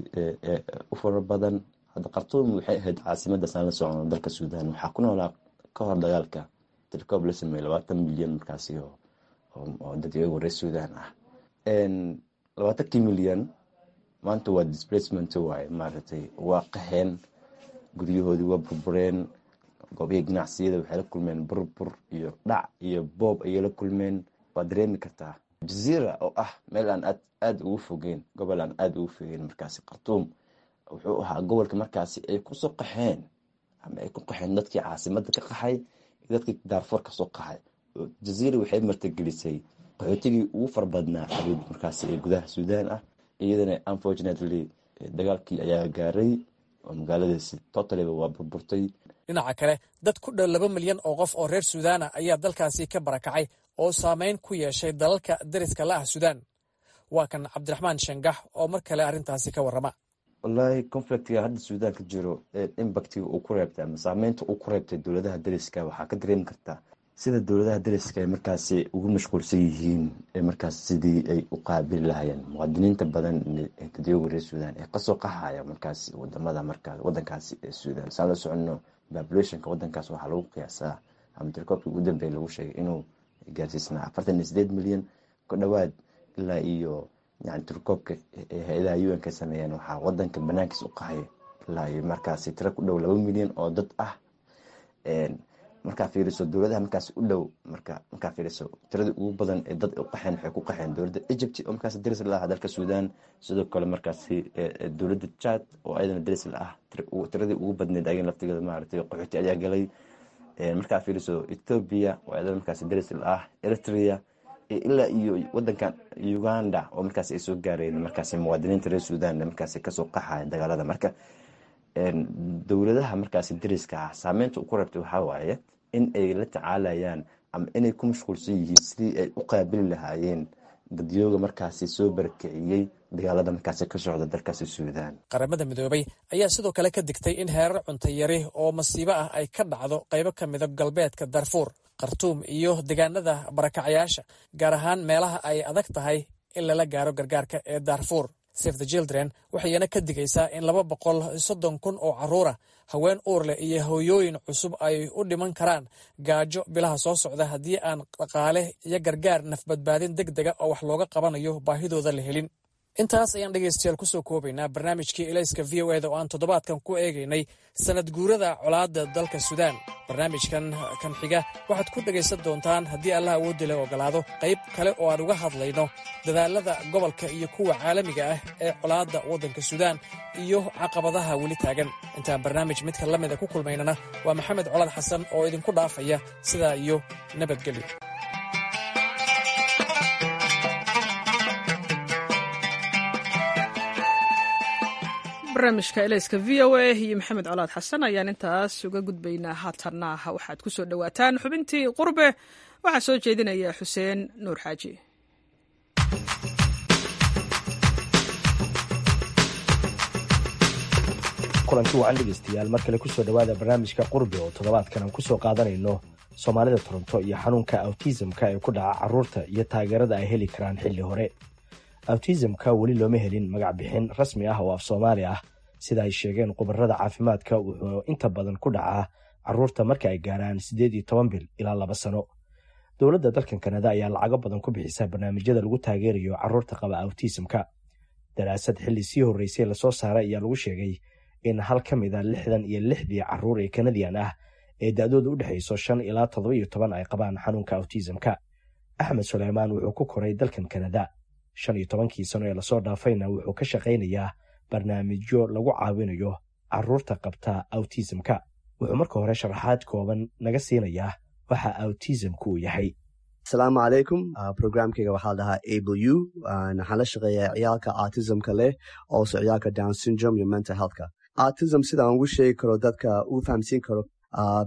u fara badan. Hadda Khartuum waxay ahayd caasimada saan la socono dalka Suudaan. Waxaa ku noolaa ka hor dagaalka tirkoob la sameeyey labaatan milyan markaasi oo dad iyagu reer Suudaan ah. Labaatankii milyan maanta waa displacement waaye, maaragtay waa qaxeen, guryahoodii waa burbureen, goobihii ganacsiyada waxay la kulmeen burbur iyo dhac iyo boob ayay la kulmeen. Waa dareemi kartaa Jaziira oo ah meel aan aad aada ugu fogeyn, gobol aan aada ugu fogeyn markaasi Khartuum, wuxuu ahaa gobolka markaasi ay kusoo qaxeen ama ay ku qaxeen dadkii caasimada ka qaxay iyo dadkii Daarfoor kasoo qaxay. Jaziira waxay martigelisay qaxootigii ugu fara badnaa xabiib markaasi ee gudaha Suudaan ah. Iyadana unfortunately dagaalkii ayaa gaaray oo magaaladaasi totally waa burburtay. Dhinaca kale, dad ku dhow laba milyan oo qof oo reer Suudaana ayaa dalkaasi ka barakacay oo saameyn ku yeeshay dalalka dariska la ah Suudaan. Waa kan Cabdiraxmaan Shangax oo mar kale arrintaasi ka warrama. Wallaahi, conflictiga hadda Suudaan ka jiro, impactiga uu ku reebtay ama saameynta uu ku reebtay dowladaha dariska, waxaa ka dareemi kartaa sida dowladaha dariska ay markaasi ugu mashquulsan yihiin markaas sidii ay u qaabili lahayeen muwaadiniinta badan ee dadweyga reer Suudaan ee kasoo qaxaya markaasi wadamada markaas wadankaasi ee Suudaan. Saan la soconno, populationka wadankaas waxaa lagu qiyaasaa ama tirkoobkii ugu dambeeya lagu sheegay inuu gaarsiisnaa afartan iyo sideed milyan ku dhowaad. Ilaa iyo yani tirkoobka hay-adaha U N ka sameeyeen, waxaa wadanka banaankiisa u qaxay ilaa iyo markaasi tiro ku dhow laba milyan oo dad ah. Markaa fiiriso dowladaha markaas u dhow, marka markaa fiiriso tiradii ugu badan ee dad u qaxeen, waxay ku qaxeen dowladda Egypt oo markaasi daris la ah dalka Suudaan. Sidoo kale markaasi dowladda Chad oo ayadana daris la ah, tiradii ugu badneed ayagana laftigeeda maaragtay qaxooti ayaa galay. Markaa fiiriso Ethiopia oo ayadana markaasi daris la ah, Eritrea, ilaa iyo wadankan Uganda oo markaasi ay soo gaareen markaasi muwaadiniinta reer Suudaan markaasi kasoo qaxaya dagaalada. Marka dowladaha markaasi dariska ah saameynta uu ku reebtay waxaa waaye in ay la tacaalayaan ama inay ku mashquulsan yihiin sidii ay u qaabili lahaayeen dadyooga markaasi soo barakiciyey dagaalada markaasi ka socda dalkaasi Suudaan. Qaramada Midoobay ayaa sidoo kale ka digtay in heerar cunto yari oo masiibo ah ay ka dhacdo qaybo ka mida galbeedka Darfuur, Khartuum iyo deegaanada barakacayaasha, gaar ahaan meelaha ay adag tahay in lala gaaro gargaarka ee Darfuur. Save the Children waxayna ka digaysaa in laba boqol soddon kun oo carruura, haween uur leh iyo hooyooyin cusub ay u dhiman karaan gaajo bilaha soo socda haddii aan dhaqaale iyo gargaar nafbadbaadin deg dega oo wax looga qabanayo baahidooda la helin. Intaas ayaan dhegaystayaal kusoo koobaynaa barnaamijkii Ilayska V O eda oo aan toddobaadkan ku eegaynay sanad guurada colaadda dalka Suudaan. Barnaamijkan kan xiga waxaad ku dhegaysan doontaan, haddii Allah awoodda leh ogolaado, qayb kale oo aan uga hadlayno dadaalada gobolka iyo kuwa caalamiga ah ee colaadda waddanka Suudaan iyo caqabadaha weli taagan. Intaan barnaamij midka la mida ku kulmaynana, waa Maxamed Colaad Xasan oo idinku dhaafaya sidaa iyo nabadgelyo. Barnaamijka Elayska V O A iyo Maxamed Colaad Xasan ayaan intaas uga gudbaynaa. Haatanna waxaad ku soo dhowaataan xubintii Qurbe. Waxaa soo jeedinaya Xuseen Nuur Xaaji. Kulanti wacan dhegeystayaal, mar kale kusoo dhowaada barnaamijka Qurbe oo toddobaadkan aan kusoo qaadanayno Soomaalida Toronto iyo xanuunka autismka ee ku dhaca caruurta iyo taageerada ay heli karaan xilli hore. Autismka weli looma helin magac bixin rasmi ah oo af Soomaali ah. Sida ay sheegeen khubarada caafimaadka, wuxuu inta badan ku dhacaa caruurta marka ay gaaraan siddeed iyo toban bil ilaa laba sano. Dowladda dalkan Kanada ayaa lacago badan ku bixisa barnaamijyada lagu taageerayo caruurta qaba autismka. Daraasad xilli sii horreysay lasoo saaray ayaa lagu sheegay in hal ka mid a lixdan iyo lixdii caruur ee Kanadiyan ah ee da-dooda u dhexayso shan ilaa toddoba iyo toban ay qabaan xanuunka autismka. Axmed Suleymaan wuxuu ku koray dalkan Kanada. Shan iyo tobankii sano ee lasoo dhaafayna wuxuu ka shaqaynayaa barnaamijyo lagu caawinayo caruurta qabta autismka. Wuxuu marka hore sharaxaad kooban naga siinayaa waxa autismku uu yahay. Asalaamu calaykum. Programkayga waxaa la dhahaa Able U. Waxaan la shaqeeyaa ciyaalka autismka leh, also ciyaalka Down syndrome iyo mental healthka. Autism sidaan ugu sheegi karo, dadka ugu fahamsiin karo,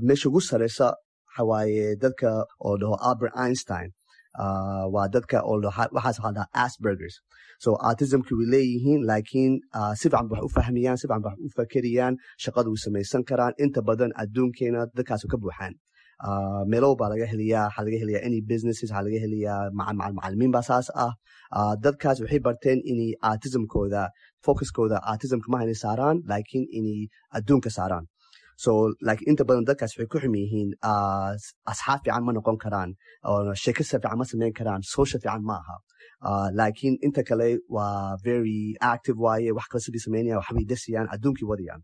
meesha ugu sareysa waxa waaye dadka oo dhaho Albert Einstein, waa dadka oo waxaas waxaa dhahaa Aspergers. So autismki way leeyihiin, laakiin si fiican wax u fahmiyaan, si fiican wax u fakeriyaan, shaqada u samaysan karaan. Inta badan adduunkeena dadkaas ka buuxaan. Meelo baa laga heliyaa, waxaa laga heliyaa any businesses, waxaa laga heliyaa macalimiin baa saas ah. Dadkaas waxay barteen inay autismkooda focuskooda autismka maaha inay saaraan, laakiin inay adduunka saaraan. So like inta badan dadkaas waxay ku xum yihiin asxaab fiican ma noqon karaan, sheekasa fiican ma samayn karaan, social fiican ma aha. Laakiin inta kale waa very active waaye, wax kale sidii samaynayaan, waxbay dasiyaan, adduunkii wadayaan.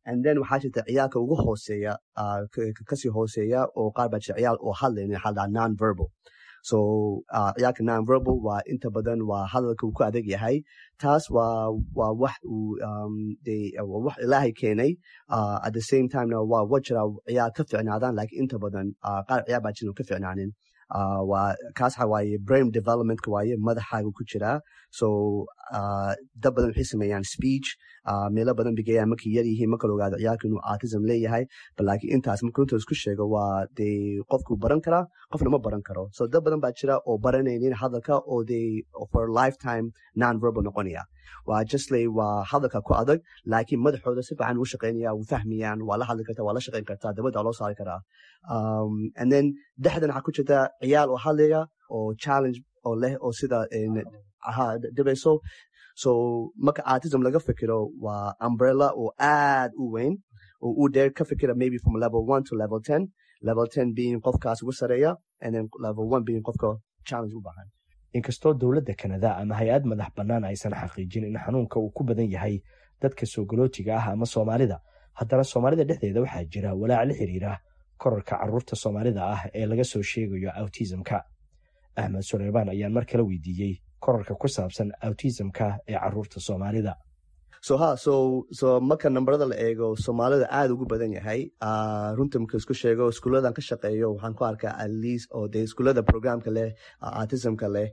And then waxaa jirta ciyaalka ugu hooseeya, kasii hooseeya, oo qaar baa jira ciyaal oo hadlaynin, waxaa la dhahaa non verbal. So ciyaalka non verbal waa inta badan waa hadalka uu ku adag yahay. Taas waa waa wax uu waa wax Ilaahay keenay. At the same timena waa wa jira ciyaal ka ficnaadaan, laakiin inta badan qaar ciyaal baa jiran ka ficnaanin. Waa kaas waxa waaye brain developmentka waaye, madaxaaga ku jiraa. So dad badan waxay sameeyaan speech, meelo badan bigeeyaan markay yar yihiin, marka la ogaado ciyaalka inuu autism leeyahay. But laakiin intaas marka runta isku sheego, waa dee qofku baran karaa, qofna ma baran karo. So dad badan baa jira oo baranaynin hadalka, oo they for lifetime non verbal noqonaya. Waa just lay waa hadalka ku adag, laakiin madaxooda si fiican u shaqeynaya, wuu fahmayaan, waa la hadli kartaa, waa la shaqeyn kartaa, dabadda loo saari karaa. And then dhexdan waxaa ku jirta ciyaal oo hadlaya oo challenge oo leh oo sida ha dhibayso. So marka autism laga fikiro, waa umbrella oo aad u weyn oo u dheer. Ka fikira maybe from level one to level ten, level ten being qofkaas ugu sareeya and then level one being qofka challenge u baahan. Inkastoo dowladda Kanada ama hay-ad madax bannaan aysan xaqiijin in xanuunka uu ku badan yahay dadka soo galootiga ah ama Soomaalida, haddana Soomaalida dhexdeeda waxaa jira walaac la xiriira korarka carruurta Soomaalida ah ee laga soo sheegayo autismka. Axmed Suleymaan ayaan mar kale weydiiyey korarka ku saabsan autismka ee carruurta Soomaalida. So ha so so marka nambarada la eego, Soomaalida aad ugu badan yahay. Runta marka isku sheego, iskuuladan ka shaqeeyo waxaan ku arkaa at least oo dee iskuulada programka leh autismka leh,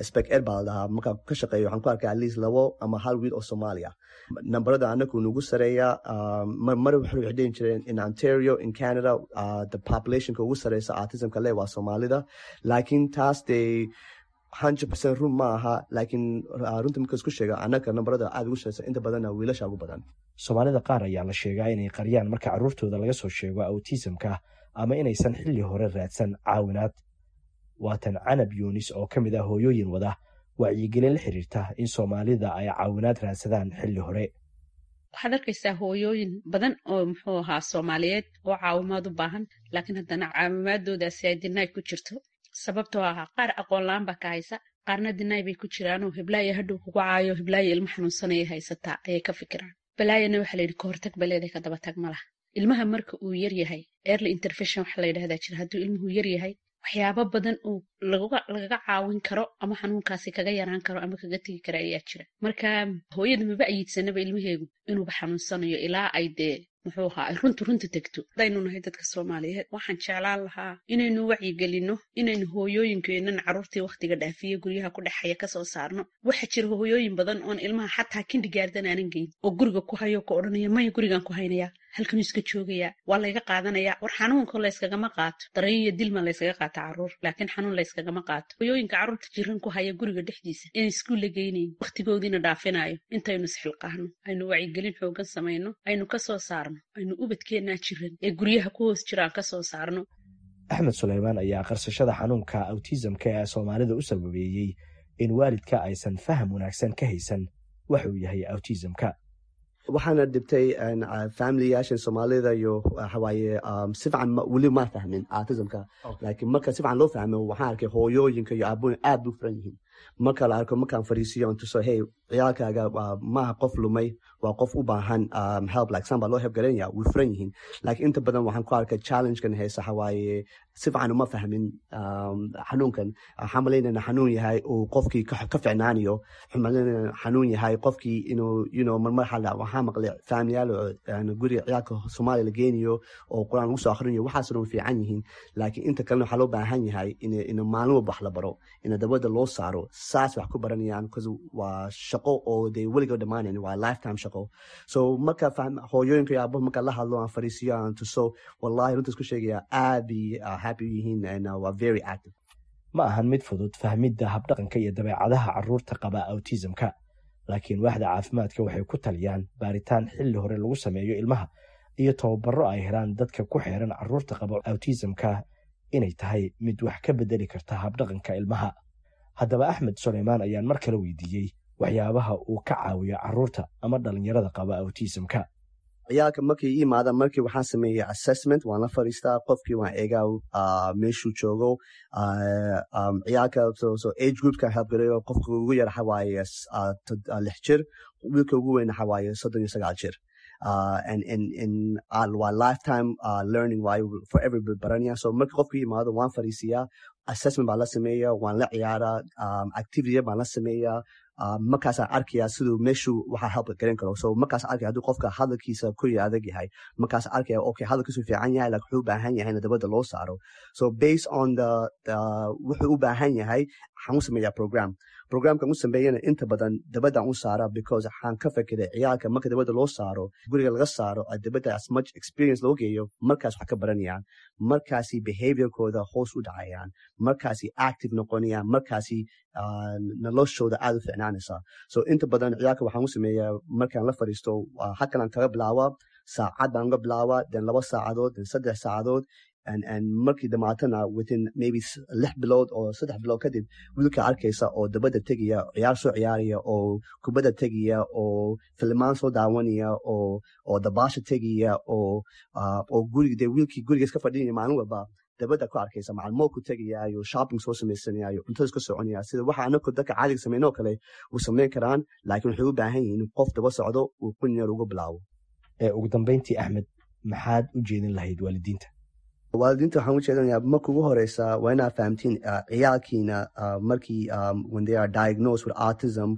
spec ed baa la dhahaa, markaan ka shaqeeyo waxaan ku arkaa at least labo ama hal wiil oo Soomaaliya. Nambarada anagu nagu sareeya. Mar waxay dhihin jireen in Ontario, in Canada, the populationka ugu sareysa autismka leh waa Soomaalida, laakiin taas dee hundred percent run ma aha. Laakiin runta marka isku sheega, annaga nambarada aad ugu sareysa, inta badanna wiilasha ugu badan. Soomaalida qaar ayaa la sheegaa inay qariyaan marka carruurtooda laga soo sheego autismka ama inaysan xilli hore raadsan caawinaad. Waatan Canab Yuunis oo ka mid ah hooyooyin wada wacyigelin la xiriirta in Soomaalida ay caawinaad raadsadaan xilli hore. Waxaad arkaysaa hooyooyin badan oo muxuu ahaa Soomaaliyeed oo caawimaad u baahan, laakiin haddana caawimaadoodaasi ay deny ku jirto, sababtoo ahaa qaar aqoon la-aan baa ka haysa, qaarna deny bay ku jiraanoo heblaaya hadhow kugu caayo, heblaaya ilmo xanuunsanayay haysataa ayay ka fikiraan. Balaayana waxaa layidhi ka hortag baleeday, ka daba tag ma laha. Ilmaha marka uu yar yahay, early intervention waxa la yidhahdaa jira. Hadduu ilmuhu yar yahay, waxyaabo badan oo lagaga caawin karo ama xanuunkaasi kaga yaraan karo ama kaga tegi kara ayaa jira. Marka hooyada maba ayiidsanaba ilmaheegu inuuba xanuunsanayo ilaa ay dee muxuu ahaa ay runta runta tegto. Hadaynu nahay dadka Soomaaliyeed, waxaan jeclaan lahaa inaynu wacyigelinno, inaynu hooyooyinkeenan carruurtii wakhtiga dhaafiye guryaha ku dhexaya kasoo saarno. Waxaa jira hooyooyin badan oon ilmaha xataa kindergarten aanan geyn oo guriga ku hayo, ku odhanaya, "Maya, gurigaan ku haynayaa, halkanuu iska joogayaa, waa layga qaadanayaa." War, xanuunka layskagama qaato. Dareen iyo dilma layskaga qaata carruur, laakiin xanuun layskagama qaato. Hooyooyinka carruurta jiran ku haya guriga dhexdiisa inay iskuul la geynayn, wakhtigoodiina dhaafinayo, intaynu isxilqaahno, aynu wacyigelin xoogan samayno, aynu kasoo saarno, aynu ubadkeennaa jiran ee guryaha ku hoos jiraan kasoo saarno. Axmed Suleymaan ayaa qarsashada xanuunka autismka ee Soomaalida u sababeeyey in waalidka aysan faham wanaagsan ka haysan wax uu yahay autismka. Waxaana dhibtay familiyaashan Soomaalida iyo waxawaaye si fiican weli ma fahmin autismka, laakiin marka si fiican loo fahmo, waxaan arkay hooyooyinka iyo aabooyin aad bu furan yihiin. Marka la arko, markaan fariisiyo on tuso, "Hey, ciyaalkaaga maaha qof lumay, waa qof u baahan help, like san baa loo help garanaya," way furan yihiin. Laakiin inta badan waxaan ku arkay challengekan haysa waxawaaye si fiican uma fahmin xanuunkan. Waxaan malaynayna xanuun yahay uu qofkii ka ficnaanayo, waxaan malaynayna xanuun yahay qofkii inuu you know marmar xala waxaa maqlay faamiliyaal oo guriga ciyaalka Soomaaliya la geynayo oo Qur-aan lagu soo akhrinayo. Waxaas dhan way fiican yihiin, laakiin inta kalena waxaa loo baahan yahay in in maalin walba wax la baro, in dabada loo saaro, saas wax ku baranayaan, because waa shaqo oo dee weliga dhammaanayn, waa lifetime shaqo. So marka hooyooyinka iyo aabahu marka la hadlo, aan fariisiyo, aan tuso, wallahi runta isku sheegaya, aad bay happy yihiin and waa very active. Ma ahan mid fudud fahmidda habdhaqanka iyo dabeecadaha carruurta qaba autismka, laakiin waaxda caafimaadka waxay ku taliyaan baaritaan xilli hore lagu sameeyo ilmaha iyo tababaro ay helaan dadka ku xeeran carruurta qaba autismka inay tahay mid wax ka bedeli karta habdhaqanka ilmaha. Haddaba Axmed Suleymaan ayaan mar kale weydiiyey waxyaabaha uu ka caawiyo carruurta ama dhalinyarada qaba autismka. Ciyaalka markay ii imaadaan, markii waxaan sameeya assessment, waan la fariistaa qofkii, waan eegaa meeshuu joogo ciyaalka. So age groupka help gareeyo, qofka ugu yar waxa waaye lix jir, wiilka ugu weyn waxa waaye soddon iyo sagaal jir. uh, and and and uh, waa lifetime uh, learning waayo, forever baranaya. So marka qofka yimaado, waan fariisiyaa, assessment baan la sameeyaa, waan la ciyaaraa, um, activity baan la sameeyaa. uh, markaasaan arkayaa siduu meeshuu waxaa help garan karo. So markaas arkaya hadduu qofka hadalkiisa ku adag yahay, markaas arkaya, okay, hadalkiisu fiican yahay, laakiin wuxuu u baahan yahay in dabadda loo saaro. So based on the, the wuxuu u baahan yahay, waxaan u sameeyaa program. Programkan u sameeyana inta badan dabadaan u saara, because waxaan ka fekeray ciyaalka marka dabadda loo saaro, guriga laga saaro, dabadda as much experience loo geeyo, markaas wax ka baranayaan, markaasi behaviorkooda hoos u dhacayaan, markaasi active noqonayaan, markaasi noloshooda aad u ficnaanaysaa. So inta badan ciyaalka waxaan u sameeyaa, markaan la fadhiisto, halkan kaga bilaabaa, saacad baan uga bilaabaa, then laba saacadood, then saddex saacadood, and and markii dhamaatana, within maybe lix bilood oo saddex bilood kadib, wiilka arkaysa oo dabadda tegaya, ciyaar soo ciyaaraya, oo kubadda tegaya, oo filimaan soo daawanaya, oo oo dabaasha tegaya, oo oo guriga dee wiilkii guriga iska fadhinaya maalin walba, dabadda ku arkaysa, macalmoolku tegaya iyo shopping soo samaysanaya iyo cuntada iska soconaya. Sida waxa anako dadka caadiga sameyn oo kale uu sameyn karaan, laakiin waxay u baahan yihiin qof daba socdo uu kun yar uga bilaabo. Ugu dambeyntii, Axmed, maxaad u jeedin lahayd waalidiinta? Waalidiinta waxaan u jeedinayaa, marka ugu horeysa waa inaad fahamtiin ciyaalkiina markii when they are diagnosed with autism,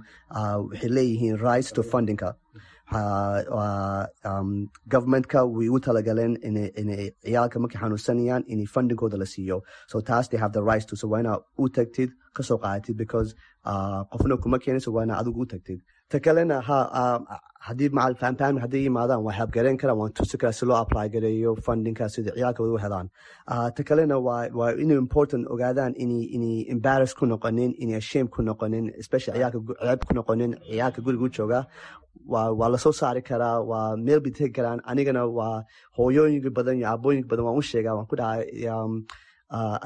waxay leeyihiin rights to fundingka. Governmentka way u talagaleen inay ciyaalka markay xanuunsanayaan inay fundingkooda la siiyo. So taas they have the rights to. So waa inaad u tagtid, kasoo qaadatid, because qofna kuma keenayso, waa inaad adigu u tagtid. Ta kalena ha, haddii macal fahamfahmi hadday yimaadaan, waan help gareyn karaa, waan tusi karaa si loo apply gareeyo fundingka, sida ciyaalka u helaan. Ta kalena waa waa inay important ogaadaan inay inay embarrass ku noqonin, inay shame ku noqonin, especially ciyaalka ceeb ku noqonin. Ciyaalka guriga u jooga waa waa lasoo saari karaa, waa meel bay tegi karaan. Anigana waa hooyooyinka badan iyo aabooyinka badan waan u sheegaa, waan ku dhahay,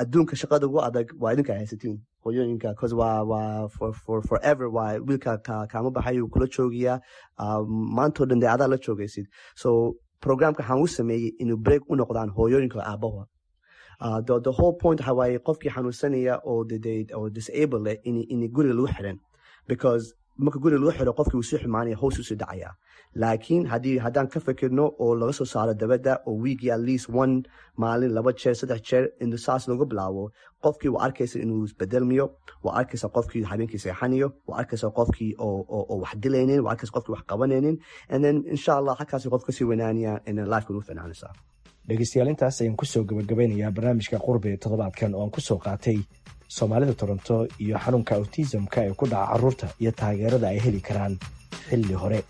adduunka shaqada ugu adag waa idinka haysatiin, hooyooyinka, cause waa waa for for forever waa wiilka ka kaama baxay, uu kula joogiyaa maantoo dhan, dee adaa la joogaysid. So programka waxaan u sameeyey inuu break u noqdaan hooyooyinka, aabaha. Uh, the, the whole point waxa waaye, qofkii xanuunsanaya oo oo disable leh in in guriga lagu xiran, because marka guriga lagu xiro, qofkii wuu sii xumaanaya, hoos usii dhacaya. Laakiin haddii haddaan ka fikirno oo laga soo saaro dabadda, oo weekii at least one maalin, laba jeer, saddex jeer, in saas lagu bilaabo, qofkii waa arkaysa inuu isbedelmiyo, waa arkaysa qofkii habeenkii seexanayo, waa arkaysa qofkii oo oo wax dilaynin, waa arkaysa qofkii wax qabanaynin, and then insha Allah halkaasi qof kasii weynaanaya and then lifeka u ficnaanaysaa. Dhegeystayaal, intaas ayaan kusoo gabagabeynayaa barnaamijka Qurbe toddobaadkan, oo aan kusoo qaatay Soomaalida Toronto iyo xanuunka autismka ee ku dhaca carruurta iyo taageerada ay heli karaan xilli hore.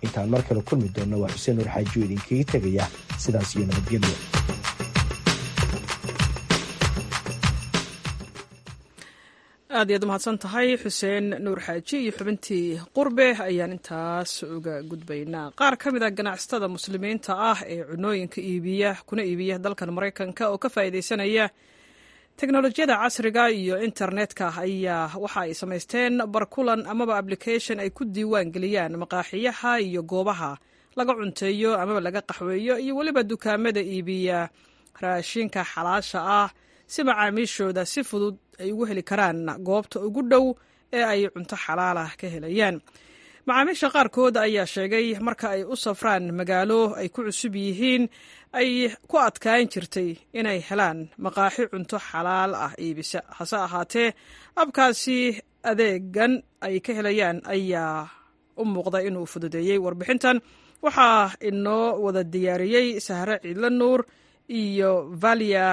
Intaan mar kale kulmi doonno, waa Xuseen Nuur Xaajiyo idinkaga tegaya sidaas iyo nabadgelyo. Aad iyaad umahadsan tahay, Xuseen Nuur Xaaji, iyo xubintii Qurbe ayaan intaas uga gudbaynaa. Qaar ka mid a ganacsatada Muslimiinta ah ee cunooyinka iibiya kuna iibiya dalkan Maraykanka oo ka faa'iidaysanaya teknolojiyada casriga iyo internetka ayaa waxa ay samaysteen barkulan amaba application ay ku diiwaan geliyaan maqaaxiyaha iyo goobaha laga cunteeyo amaba laga qaxweeyo iyo weliba dukaamada iibiya raashinka xalaasha ah, si macaamiishooda si fudud ay ugu heli karaan goobta ugu dhow ee ay cunto xalaalah ka helayaan. Macaamiisha qaarkood ayaa sheegay marka ay u safraan magaalo ay ku cusub yihiin ay ku adkaan jirtay inay helaan maqaaxi cunto xalaal ah iibisa. Hase ahaatee, abkaasi adeegan ay ka helayaan ayaa u muuqda inuu fududeeyey. Warbixintan waxaa inoo wada diyaariyey Sahre Ciidla Nuur iyo Valia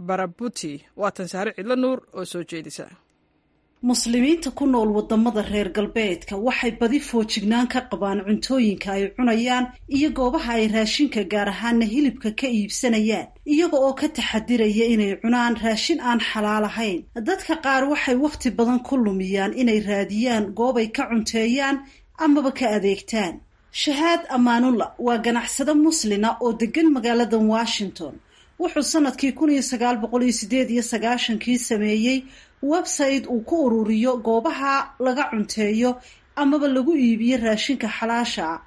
Barabuti. Waatan Sahre Ciidla Nuur oo soo jeedisa. Muslimiinta ku nool wadamada reer galbeedka waxay badi foojignaan ka qabaan cuntooyinka ay cunayaan iyo goobaha ay raashinka, gaar ahaana hilibka, ka iibsanayaan, iyaga oo ka taxadiraya inay cunaan raashin aan xalaal ahayn. Dadka qaar waxay wakhti badan ku lumiyaan inay raadiyaan goobay ka cunteeyaan amaba ka adeegtaan. Shahaad Amaanulla waa ganacsado muslina oo degan magaalada Washington. Wuxuu sanadkii kun iyo sagaal boqol iyo sideed iyo sagaashankii sameeyey website uu ku ururiyo goobaha laga cunteeyo amaba lagu iibiyo raashinka xalaasha ah.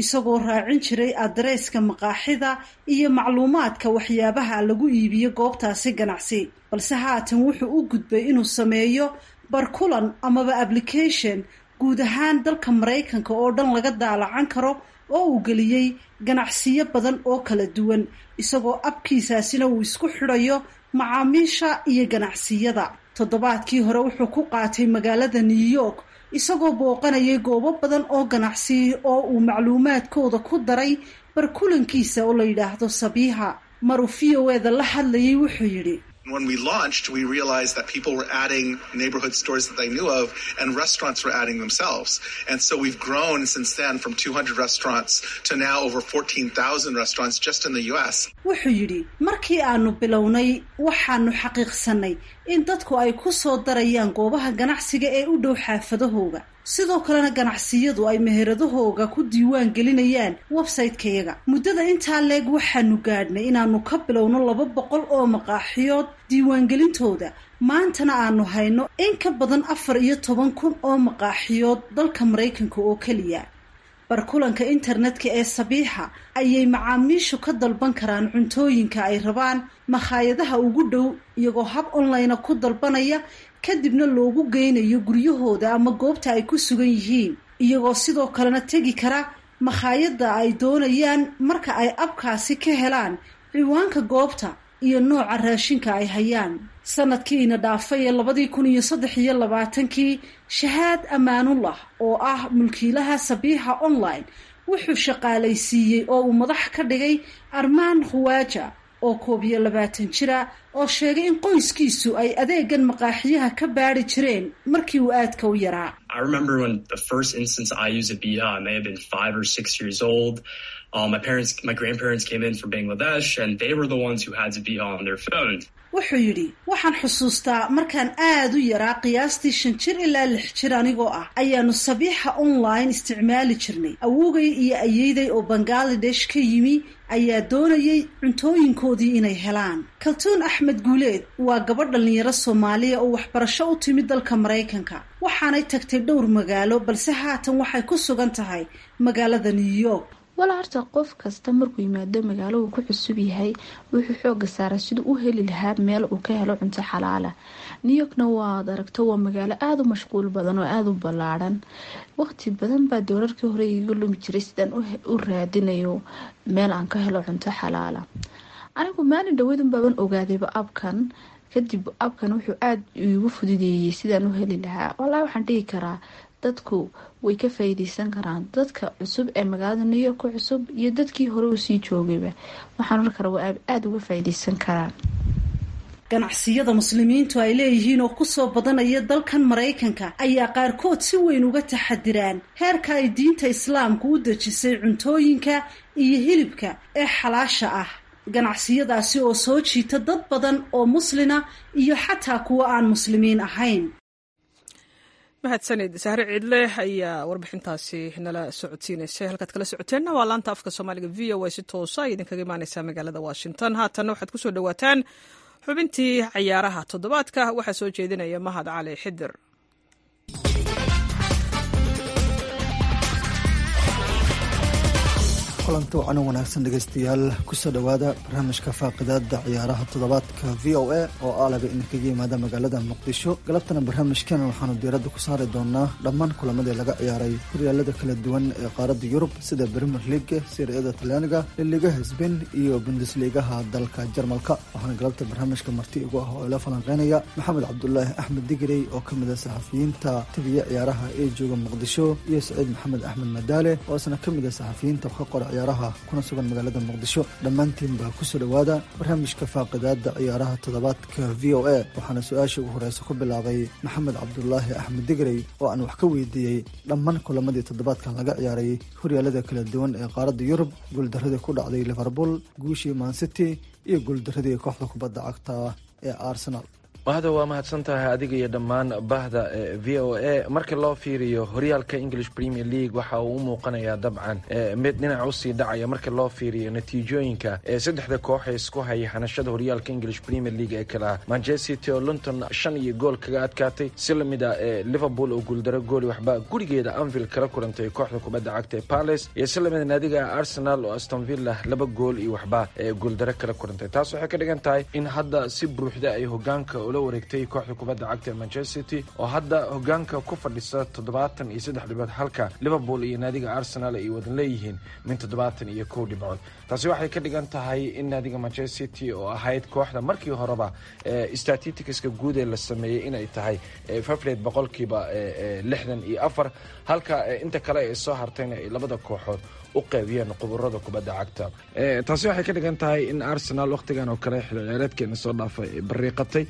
isagoo raacin jiray adreeska maqaaxida iyo macluumaadka waxyaabaha lagu iibiyo goobtaasi ganacsi. Balse haatan wuxuu u gudbay inuu sameeyo barkulan amaba application guud ahaan dalka Maraykanka oo dhan laga daalacan karo oo uu geliyey ganacsiyo badan oo kala duwan, isagoo abkiisaasina uu isku xidhayo macaamiisha iyo ganacsiyada. Toddobaadkii hore wuxuu ku qaatay magaalada New York isagoo booqanayay goobo badan oo ganacsi oo uu macluumaadkooda ku daray barkulankiisa oo la yidhaahdo Sabiiha. Maruu V O E-da la hadlayay wuxuu yidhi: When we launched, we realized that people were adding neighborhood stores that they knew of, and restaurants were adding themselves. And so we've grown since then from two hundred restaurants to now over fourteen thousand restaurants just in the U S Wuxuu yidhi, markii aanu bilownay waxaanu xaqiiqsanay in dadku ay ku soo darayaan goobaha ganacsiga ee u dhow xaafadahooga, sidoo kalena ganacsiyadu ay meheradahooga ku diiwaan gelinayaan website-kayaga. Muddada intaa leeg waxaanu gaadhnay inaanu ka bilowno laba boqol oo maqaaxiyood diiwaangelintooda, maantana aanu hayno in ka badan afar iyo toban kun oo maqaaxiyood dalka Maraykanka oo keliya. Barkulanka internetka ee Sabiixa ayay macaamiishu ka dalban karaan cuntooyinka ay rabaan makhaayadaha ugu dhow, iyagoo hab online ku dalbanaya, kadibna loogu geynayo guryahooda ama goobta ay ku sugan yihiin, iyagoo sidoo kalena tegi kara makhaayadda ay doonayaan marka ay abkaasi ka helaan ciwaanka goobta iyo nooca raashinka ay hayaan. Sanadkiina dhaafay ee labadii kun iyo saddex iyo labaatankii, Shahaad Amaanullah oo ah mulkiilaha Sabiixa Online wuxuu shaqaalaysiiyey oo uu madax ka dhigay Armaan Khuwaaja oo koob iyo labaatan jira, oo sheegay in qoyskiisu ay adeegan maqaaxiyaha ka baari jireen markii uu aadka u yaraa. I remember when the first instance I used Sabiha, I may have been five or six years old. Uh, my parents, my grandparents came in from Bangladesh, and they were the ones who had Sabiha on their phones. Wuxuu yidhi, waxaan xusuustaa markaan aad u yaraa, qiyaastii shan jir ilaa lix jir anigoo ah, ayaanu Sabiixa Online isticmaali jirnay. Awowgay iyo ayeeyday oo Bangaladesh ka yimi ayaa doonayay cuntooyinkoodii inay helaan. Kaltuun Axmed Guuleed waa gabadh dhallinyaro Soomaaliya oo waxbarasho u timid dalka Maraykanka, waxaanay tagtay dhowr magaalo, balse haatan waxay ku sugan tahay magaalada New York. Walaa horta qof kasta markuu yimaado magaalo uu ku cusub yahay wuxuu xooga saaraa siduu u heli lahaa meel uu ka helo cunto xalaala. New Yorkna waad aragto, waa magaalo aada u mashquul badan oo aada u ballaadhan. Waqti badan baa doorarkii hore iga lumi jiray sidaan u raadinayo meel aan ka helo cunto xalaala. Anigu maalin dhaweydun baaban ogaadayba abkan. Kadib abkan wuxuu aada iigu fududeeyey sidaan u heli lahaa. Walaa waxaan dhihi karaa dadku way ka faa'iideysan karaan, dadka cusub ee magaalada New York ku cusub iyo dadkii hore u sii joogayba, waxaan oran karaa waa aada uga faa'iideysan karaan. Ganacsiyada muslimiintu ay leeyihiin oo kusoo badanaya dalkan Maraykanka ayaa qaarkood si weyn uga taxadiraan heerka ay diinta islaamku u dejisay cuntooyinka iyo hilibka ee xalaasha ah, ganacsiyadaasi oo soo jiita dad badan oo muslina iyo xataa kuwa aan muslimiin ahayn. Mahadsanid Sahre Ciidle ayaa warbixintaasi nala socodsiinaysay. Halkaad kala socoteenna waa laanta afka Soomaaliga V O A, si toosa ay idinkaga imaaneysaa magaalada Washington. Haatanna waxaad kusoo dhawaataan xubintii cayaaraha toddobaadka, waxaa soo jeedinaya Mahad Cali Xidir. Kulanti wacan wanaagsan dhegeystayaal, kusoo dhowaada barnaamijka faaqidaada ciyaaraha toddobaadka V O A oo aalaba idinkaga yimaada magaalada Muqdisho. Galabtana barnaamijkan waxaanu diiradda ku saari doonaa dhammaan kulamadii laga ciyaaray horyaalada kala duwan ee qaaradda Yurub, sida Premier League, Serie A-da Talyaaniga, Liligaha Spain iyo Bundesligaha dalka Jarmalka. Waxaana galabta barnaamijka marti igu ah oo ila falanqeynaya Maxamed Cabdulaahi Axmed Digrey oo kamid ah saxafiyiinta tabiya ciyaaraha ee jooga Muqdisho, iyo Saciid Maxamed Axmed Madaale oo isna kamid ah saxafiyiinta ka qora ciyaaraha kuna sugan magaalada Muqdisho. Dhammaantiin baa kusoo dhowaada barnaamijka faaqidaada ciyaaraha toddobaadka V O A. Waxaana su-aasha ugu horeysa ku bilaabay Maxamed Cabdulaahi Axmed Digrey oo aan wax ka weydiiyey dhammaan kulamadii toddobaadkan laga ciyaaray horyaalada kala duwan ee qaaradda Yurub, guuldaradii ku dhacday Liverpool, guushii Man City iyo guuldaradii kooxda kubadda cagta ee Arsenal. Mahada, waa mahadsan tahay adiga iyo dhammaan bahda V O A. Marka loo fiiriyo horyaalka English Premier League, waxa uu u muuqanayaa dabcan mid dhinac usii dhacaya marka loo fiiriyo natiijooyinka saddexda koox ee isku haya hanashada horyaalka English Premier League ee kala Manchester City oo Luton shan iyo gool kaga adkaatay, si lamid a Liverpool oo guuldaro gooli waxba gurigeeda Anfield kala kulantay kooxda kubadda cagta ee Palace, iyo si lamida naadiga Arsenal oo Aston Villa laba gool iyo waxba guuldaro kala kulantay. Taas waxay ka dhigan tahay in hadda si buuxda ay hogaanka ula wareegtay kooxda kubadda cagta ee Manchester City, oo hadda hogaanka ku fadhisa toddobaatan iyo saddex dhibcood, halka Liverpool iyo naadiga Arsenal ay wadan leeyihiin min toddobaatan iyo kow dhibcood. Taasi waxay ka dhigan tahay in naadiga Manchester City oo ahayd kooxda markii horeba statisticska guud ee la sameeyey inay tahay fafleed boqolkiiba lixdan iyo afar, halka inta kale ay soo hartayna ay labada kooxood u qaybiyeen khuburada kubadda cagta. Taasi waxay ka dhigan tahay in Arsenal wakhtigan oo kale xilli ciyaareedkeena soo dhaafay bariiqatay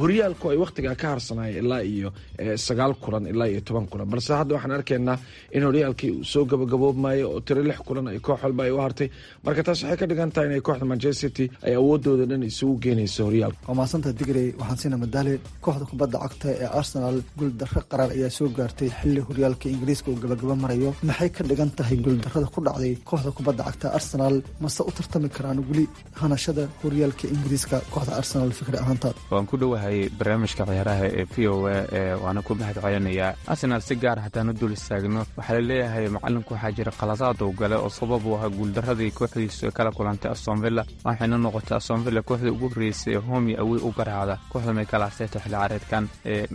horyaalku, ay wakhtigaa ka harsanaya ilaa iyo sagaal kulan ilaa iyo toban kulan, balse hadda waxaan arkaynaa in horyaalkii uu soo gabagaboobmayo oo tiro lix kulan ay koox walba ay u hartay. Marka taas waxay ka dhigan tahay inay kooxda Manchester City ay awoodooda dhan isugu geenayso horyaalka. Waa mahadsantaha, Digrey. Waxaan siina Madaale. Kooxda kubadda cagta ee Arsenal guuldarro qaraar ayaa soo gaartay xilli horyaalka Ingiriiska uu gabagaba marayo. Maxay ka dhigan tahay guuldarrada ku dhacday kooxda kubadda cagta Arsenal? Mase u tartami karaan weli hanashada horyaalka Ingiriiska kooxda Arsenal, fikri ahaanta? Waan ku dhowahay barnaamijka ciyaaraha ee V O A, waana ku mahad celinayaa. Arsenal si gaar haddaan u dul istaagno, waxaa laleeyahay macalinku waxaa jira qaladaad uu gale oo sabab u ahaa guuldaradii kooxdiisu kala kulantay Aston Villa, waxayna noqotay Aston Villa kooxda ugu horreysay ee home iyo away u garaacda kooxda Mikel Arteta xilli ciyaareedkan.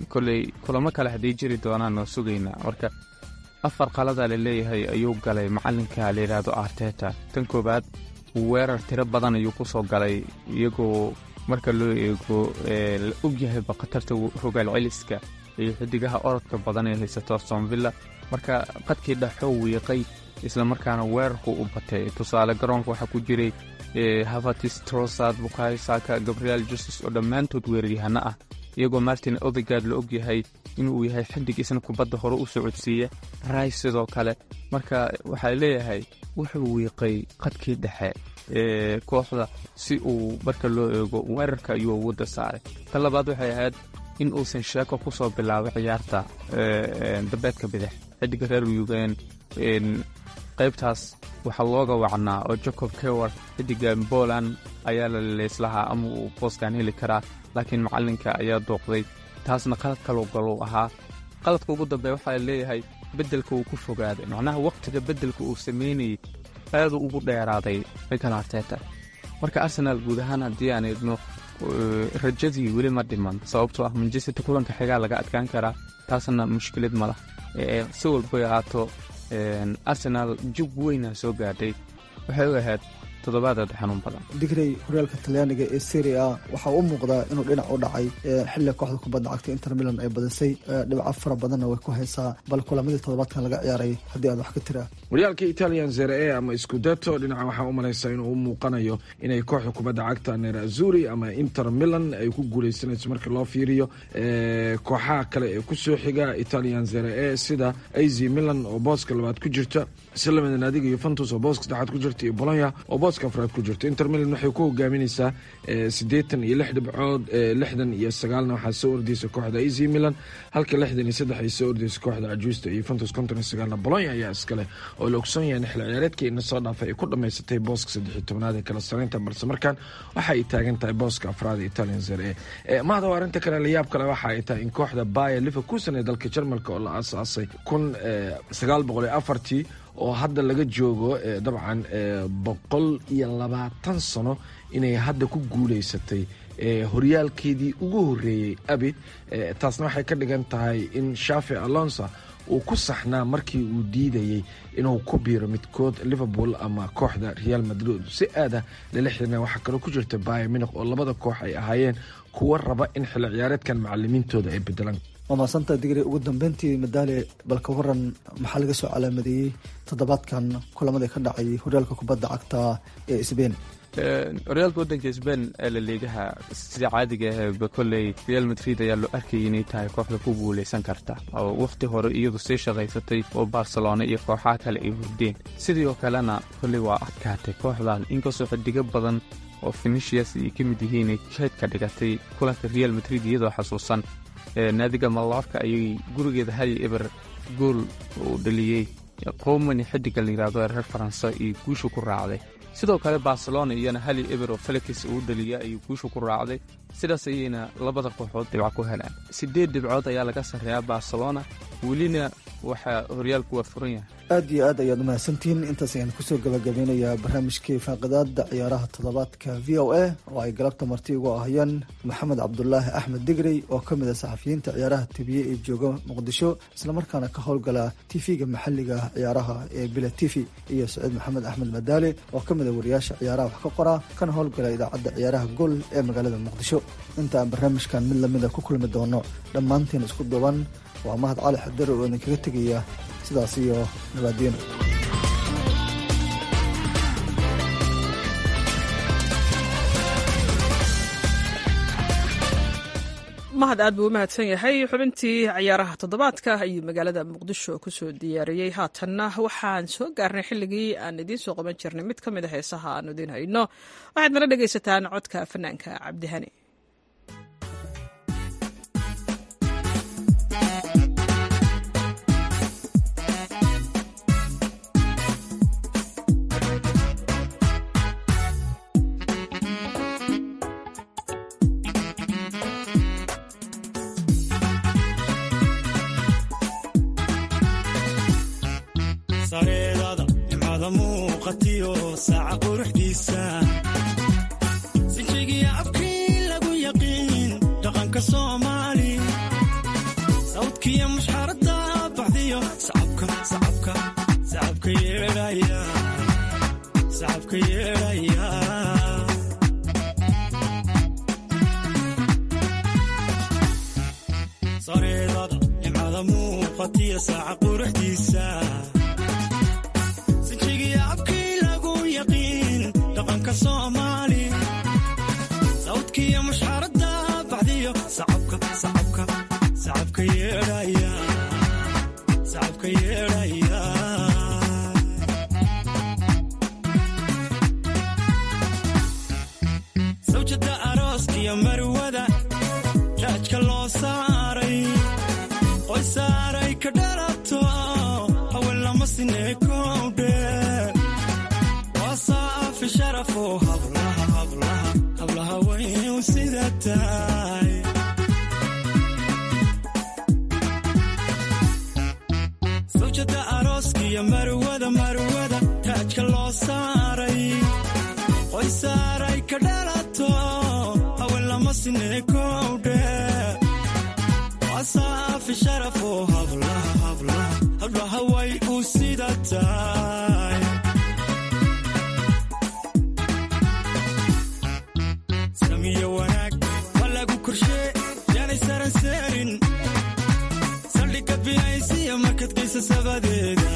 Kolley kulamo kale hadday jiri doonaan oo sugaynaa. Marka afar qaladaa la leeyahay ayuu galay macalinka la yidhaahdo Arteta. Tan koowaad, weerar tiro badan ayuu ku soo galay, iyagoo marka loo eego la ogyahayba khatarta rogaal celiska iyo xidigaha orodka badan ee haysato Aston Villa. Marka qadkii dhexoo wiiqay, islamarkaana weerarku u batay. Tusaale, garoonka waxaa ku jiray Havertz, Trossard, Bukayo Saka, Gabriel Jesus oo dhammaantood weeraryahano ah, iyagoo Martin Odegaard la ogyahay inuu yahay xidig isna kubadda hore u socodsiiya, Rice sidoo kale. Marka waxaa leeyahay wuxuu wiiqay qadkii dhexe ee kooxda si uu marka loo eego weerarka ayuu awoodda saaray. Tan labaad waxay ahayd in uusan sheeko ku soo bilaabay ciyaarta dambeedka bidix. Xidiga reer Yugen qaybtaas waxaa looga wacnaa oo Jacob Kewar, xidiga Poland, ayaa la leyslahaa ama uu booskan heli karaa, laakiin macalinka ayaa dooqday. Taasna qalad kaloo galuu ahaa. Qaladka ugu dambeeya waxaa leeyahay beddelka uu ku fogaaday, macnaha waqtiga beddelka uu sameynayay aaduu ugu dheeraaday Mikel Arteta. Marka Arsenal guud ahaan haddii aan eegno, rajadii weli ma dhiman, sababtoo ah Manchester kulanka xigaa laga adkaan karaa, taasna mushkilad ma lah. Si walbay ahaato, Arsenal jug weyna soo gaadhay, waxay u ahayd toddobaad aad xanuun badan. Digrey, horyaalka Talyaaniga ee Serie A waxaa u muuqdaa inuu dhinac u dhacay xilli kooxda kubadda cagta Inter Milan ay badisay, dhibco fara badanna way ku haysaa. Bal kulamadii toddobaadkan laga ciyaaray haddii aad wax ka tiraa. Horyaalka Italian Serie A ama Scudetto, dhinaca waxaa u malaysaa inuu u muuqanayo inay kooxda kubadda cagta Nerazzurri ama Inter Milan ay ku guuleysanayso marka loo fiiriyo kooxaha kale ee kusoo xiga Italian Serie A, sida A C Milan oo booska labaad ku jirta, si lamida naadiga Juventus oo booska saddexaad ku jirta, iyo Bologna oo booska afraad ku jirta. Inter Milan waxay ku hogaaminaysaa siddeetan iyo lix dhibcood, lixdan iyo sagaalna waxaa soo ordaysa kooxda A C Milan, halka lixdan iyo saddex ay soo ordaysa kooxda cajuusta iyo Juventus. Konton iyo sagaalna Bologna ayaa iskale, oo la ogsoon yahay in xilli ciyaareedkii ina soo dhaafay ay ku dhamaysatay booska saddex iyo tobnaad ee kala sareynta, balse markaan waxa ay taagan tahay booska afraad ee Italian Serie A. Mahada, arrinta kale la yaab kale waxa ay tahay in kooxda Bayer Leverkusen ee dalka Jarmalka, oo la aasaasay kun sagaal boqol iyo afartii, oo hadda laga joogo dabcan boqol iyo labaatan sano, inay hadda ku guuleysatay horyaalkeedii ugu horreeyey abid. Taasna waxay ka dhigan tahay in Xabi Alonso uu ku saxnaa markii uu diidayey inuu ku biiro midkood Liverpool ama kooxda Real Madrid. Si aada lala xirina waxaa kaloo ku jirta Bayern Munich, oo labada koox ay ahaayeen kuwa raba in xilli ciyaareedkan macalimiintooda ay bedelaan. Waa mahadsanta, Digri. Ugu dambeyntii, Madaale, bal ka waran maxaa laga soo calaamadeeyey toddobaadkan kulamadii ka dhacay horyaalka kubadda cagta ee Spain? Horyaalka waddanka Sbain ee La Liigaha, sida caadiga ahba kolley Real Madrid ayaa loo arkayay inay tahay kooxda ku guuleysan karta, oo wakhti hore iyadu sii shaqaysatay oo Barcelona iyo kooxaha kale ay hurdeen. Sidii oo kalena kolley waa adkaatay kooxdan, inkastoo xidigo badan oo Vinicius ay ka mid yihiin ay keedka dhigatay kulanka Real Madrid. Iyadoo xasuusan naadiga Mallorca ayay gurigeeda hal iyo eber gool uu dhaliyey Komani, xidiga la yidhaahdo ee reer Faransa, iyo guusha ku raacday. Sidoo kale Barcelona iyana hal iyo eber oo Felix uu dhaliya ayuu guusha ku raacday. Sidaas ayayna labada kooxood dhibco ku helaan. Sideed dhibcood ayaa laga sarreeyaa Barcelona, welina waxaa horyaalku waa furan yahay. Aad iyo aad ayaad umahadsantihiin. Intaas ayaan kusoo gabagabeynayaa barnaamijkii faaqidaada ciyaaraha toddobaadka V O A, oo ay galabta marti ugu ahayeen Maxamed Cabdulaahi Axmed Digrey, oo ka mid ah saxafiyiinta ciyaaraha tibiye ee jooga Muqdisho, islamarkaana ka howlgala T V-ga maxalliga ciyaaraha ee Bila T V, iyo Saciid Maxamed Axmed Madaale, oo ka mid ah wariyaasha ciyaaraha wax ka qora kana howlgala idaacadda ciyaaraha Gol ee magaalada Muqdisho. Inta aan barnaamijkan mid lamida ku kulmi doono, dhammaantiin isku duban, waa Mahad Cali Xadar oo idinkaga tegaya sidaas iyo nabaadiino. Mahad aad buu u mahadsan yahay. Xubintii ciyaaraha toddobaadka ayuu magaalada Muqdisho kusoo diyaariyey. Haatanna waxaan soo gaarnay xilligii aan idiin soo qaban jirnay mid ka mid a heesaha aan idiin hayno. Waxaad nala dhegaysataan codka fanaanka Cabdihani. Sareedada nimcada muuqatiyo saaca quruxdiisa, sinjigiya afkii lagu yaqiin dhaqanka Soomaali, sawdkiya mushxarada baxdiyo sacabka, sacabka, sacabka yeedhaya, sacabka yeedhaya. Sareedada nimcada muuqatiyo saaca quruxdiisa, sinjigiya afkii lagu yaqiin dhaqanka Soomaali, sawdkiya mushxarada baxdiyo sacabka, sacabka, sacabka yeedhaya, sacabka yeedhaya. Sawjada arooskiyo marwada raajka loo saaray, qoy saaray ka dhalato, haween lama sinee kowdhe, waa saafi sharafo hablaha, hablaha, hablaha way u sida tahay. Sawjada arooskiyo marwada, marwada taajka loo saaray, qoy saaray ka dhalato, haween lama sinee kowdhe, waa saafi sharafo hablaha, hablaha, hablaha way u sida tahay. Samiyo wanaag waa lagu korshee, yaanay saran seerin, saldhigga biyaysiya markad geysa sabadeeda,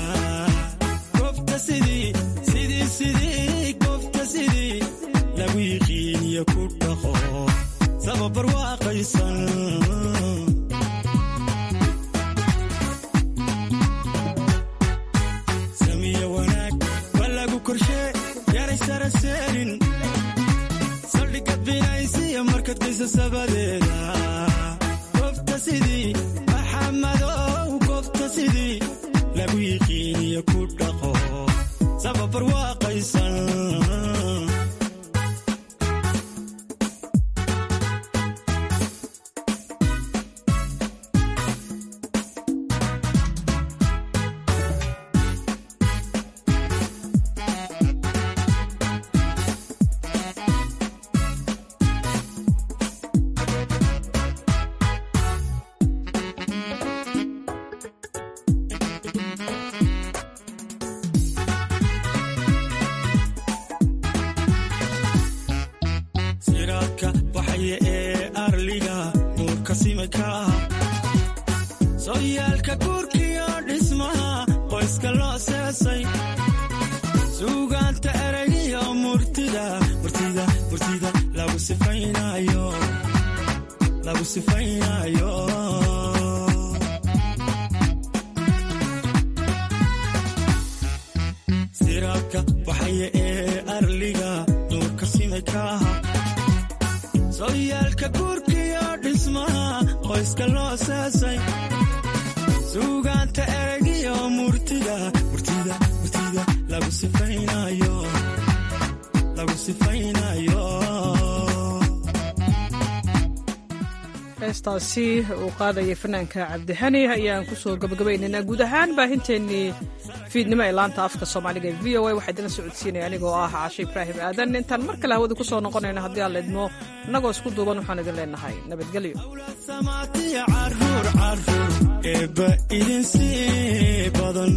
goobta sidii, sidii, sidii, goobta sidii lagu yiqiiniyo ku dhaqo sababar waaqaysan. Samiyo wanaag waa lagu korshee, yaanay saran seerin, saldhigga binaysiya markad geysa sabadeeda, goobta sidii Maxamadow, goobta sidii lagu yiqiiniyo ku dhaqo sababar waaqaysan. Siraadka baxaya ee arliga nuurka simaka, sooyaalka guurkiyo dhismaha qoyska loo seesay, suugaanta eragiyo murtida, sifaynayo. Siraadka baxaya ee arliga nuurka simay ka aha, sooyaalka guurkiyo dhismaha qoyska loo saasay, suugaanta eraygiyo murtida murtida murtida lagu sifaynayo, lagu sifaynayo. Heestaasi uu qaadayay fanaanka Cabdihani ayaan kusoo gabagabaynaynaa guud ahaan baahinteennii fiidnimo ee laanta afka Soomaaliga ee V O A. Waxaa idinla socodsiinaya anigoo ah Caashe Ibraahim Aadan. Intaan mar kale hawada ku soo noqonayno, haddii aan laidmo, innagoo isku duuban waxaan idin leenahay nabadgelyo. Samaatiya caruur caruur eebba idin sii badan.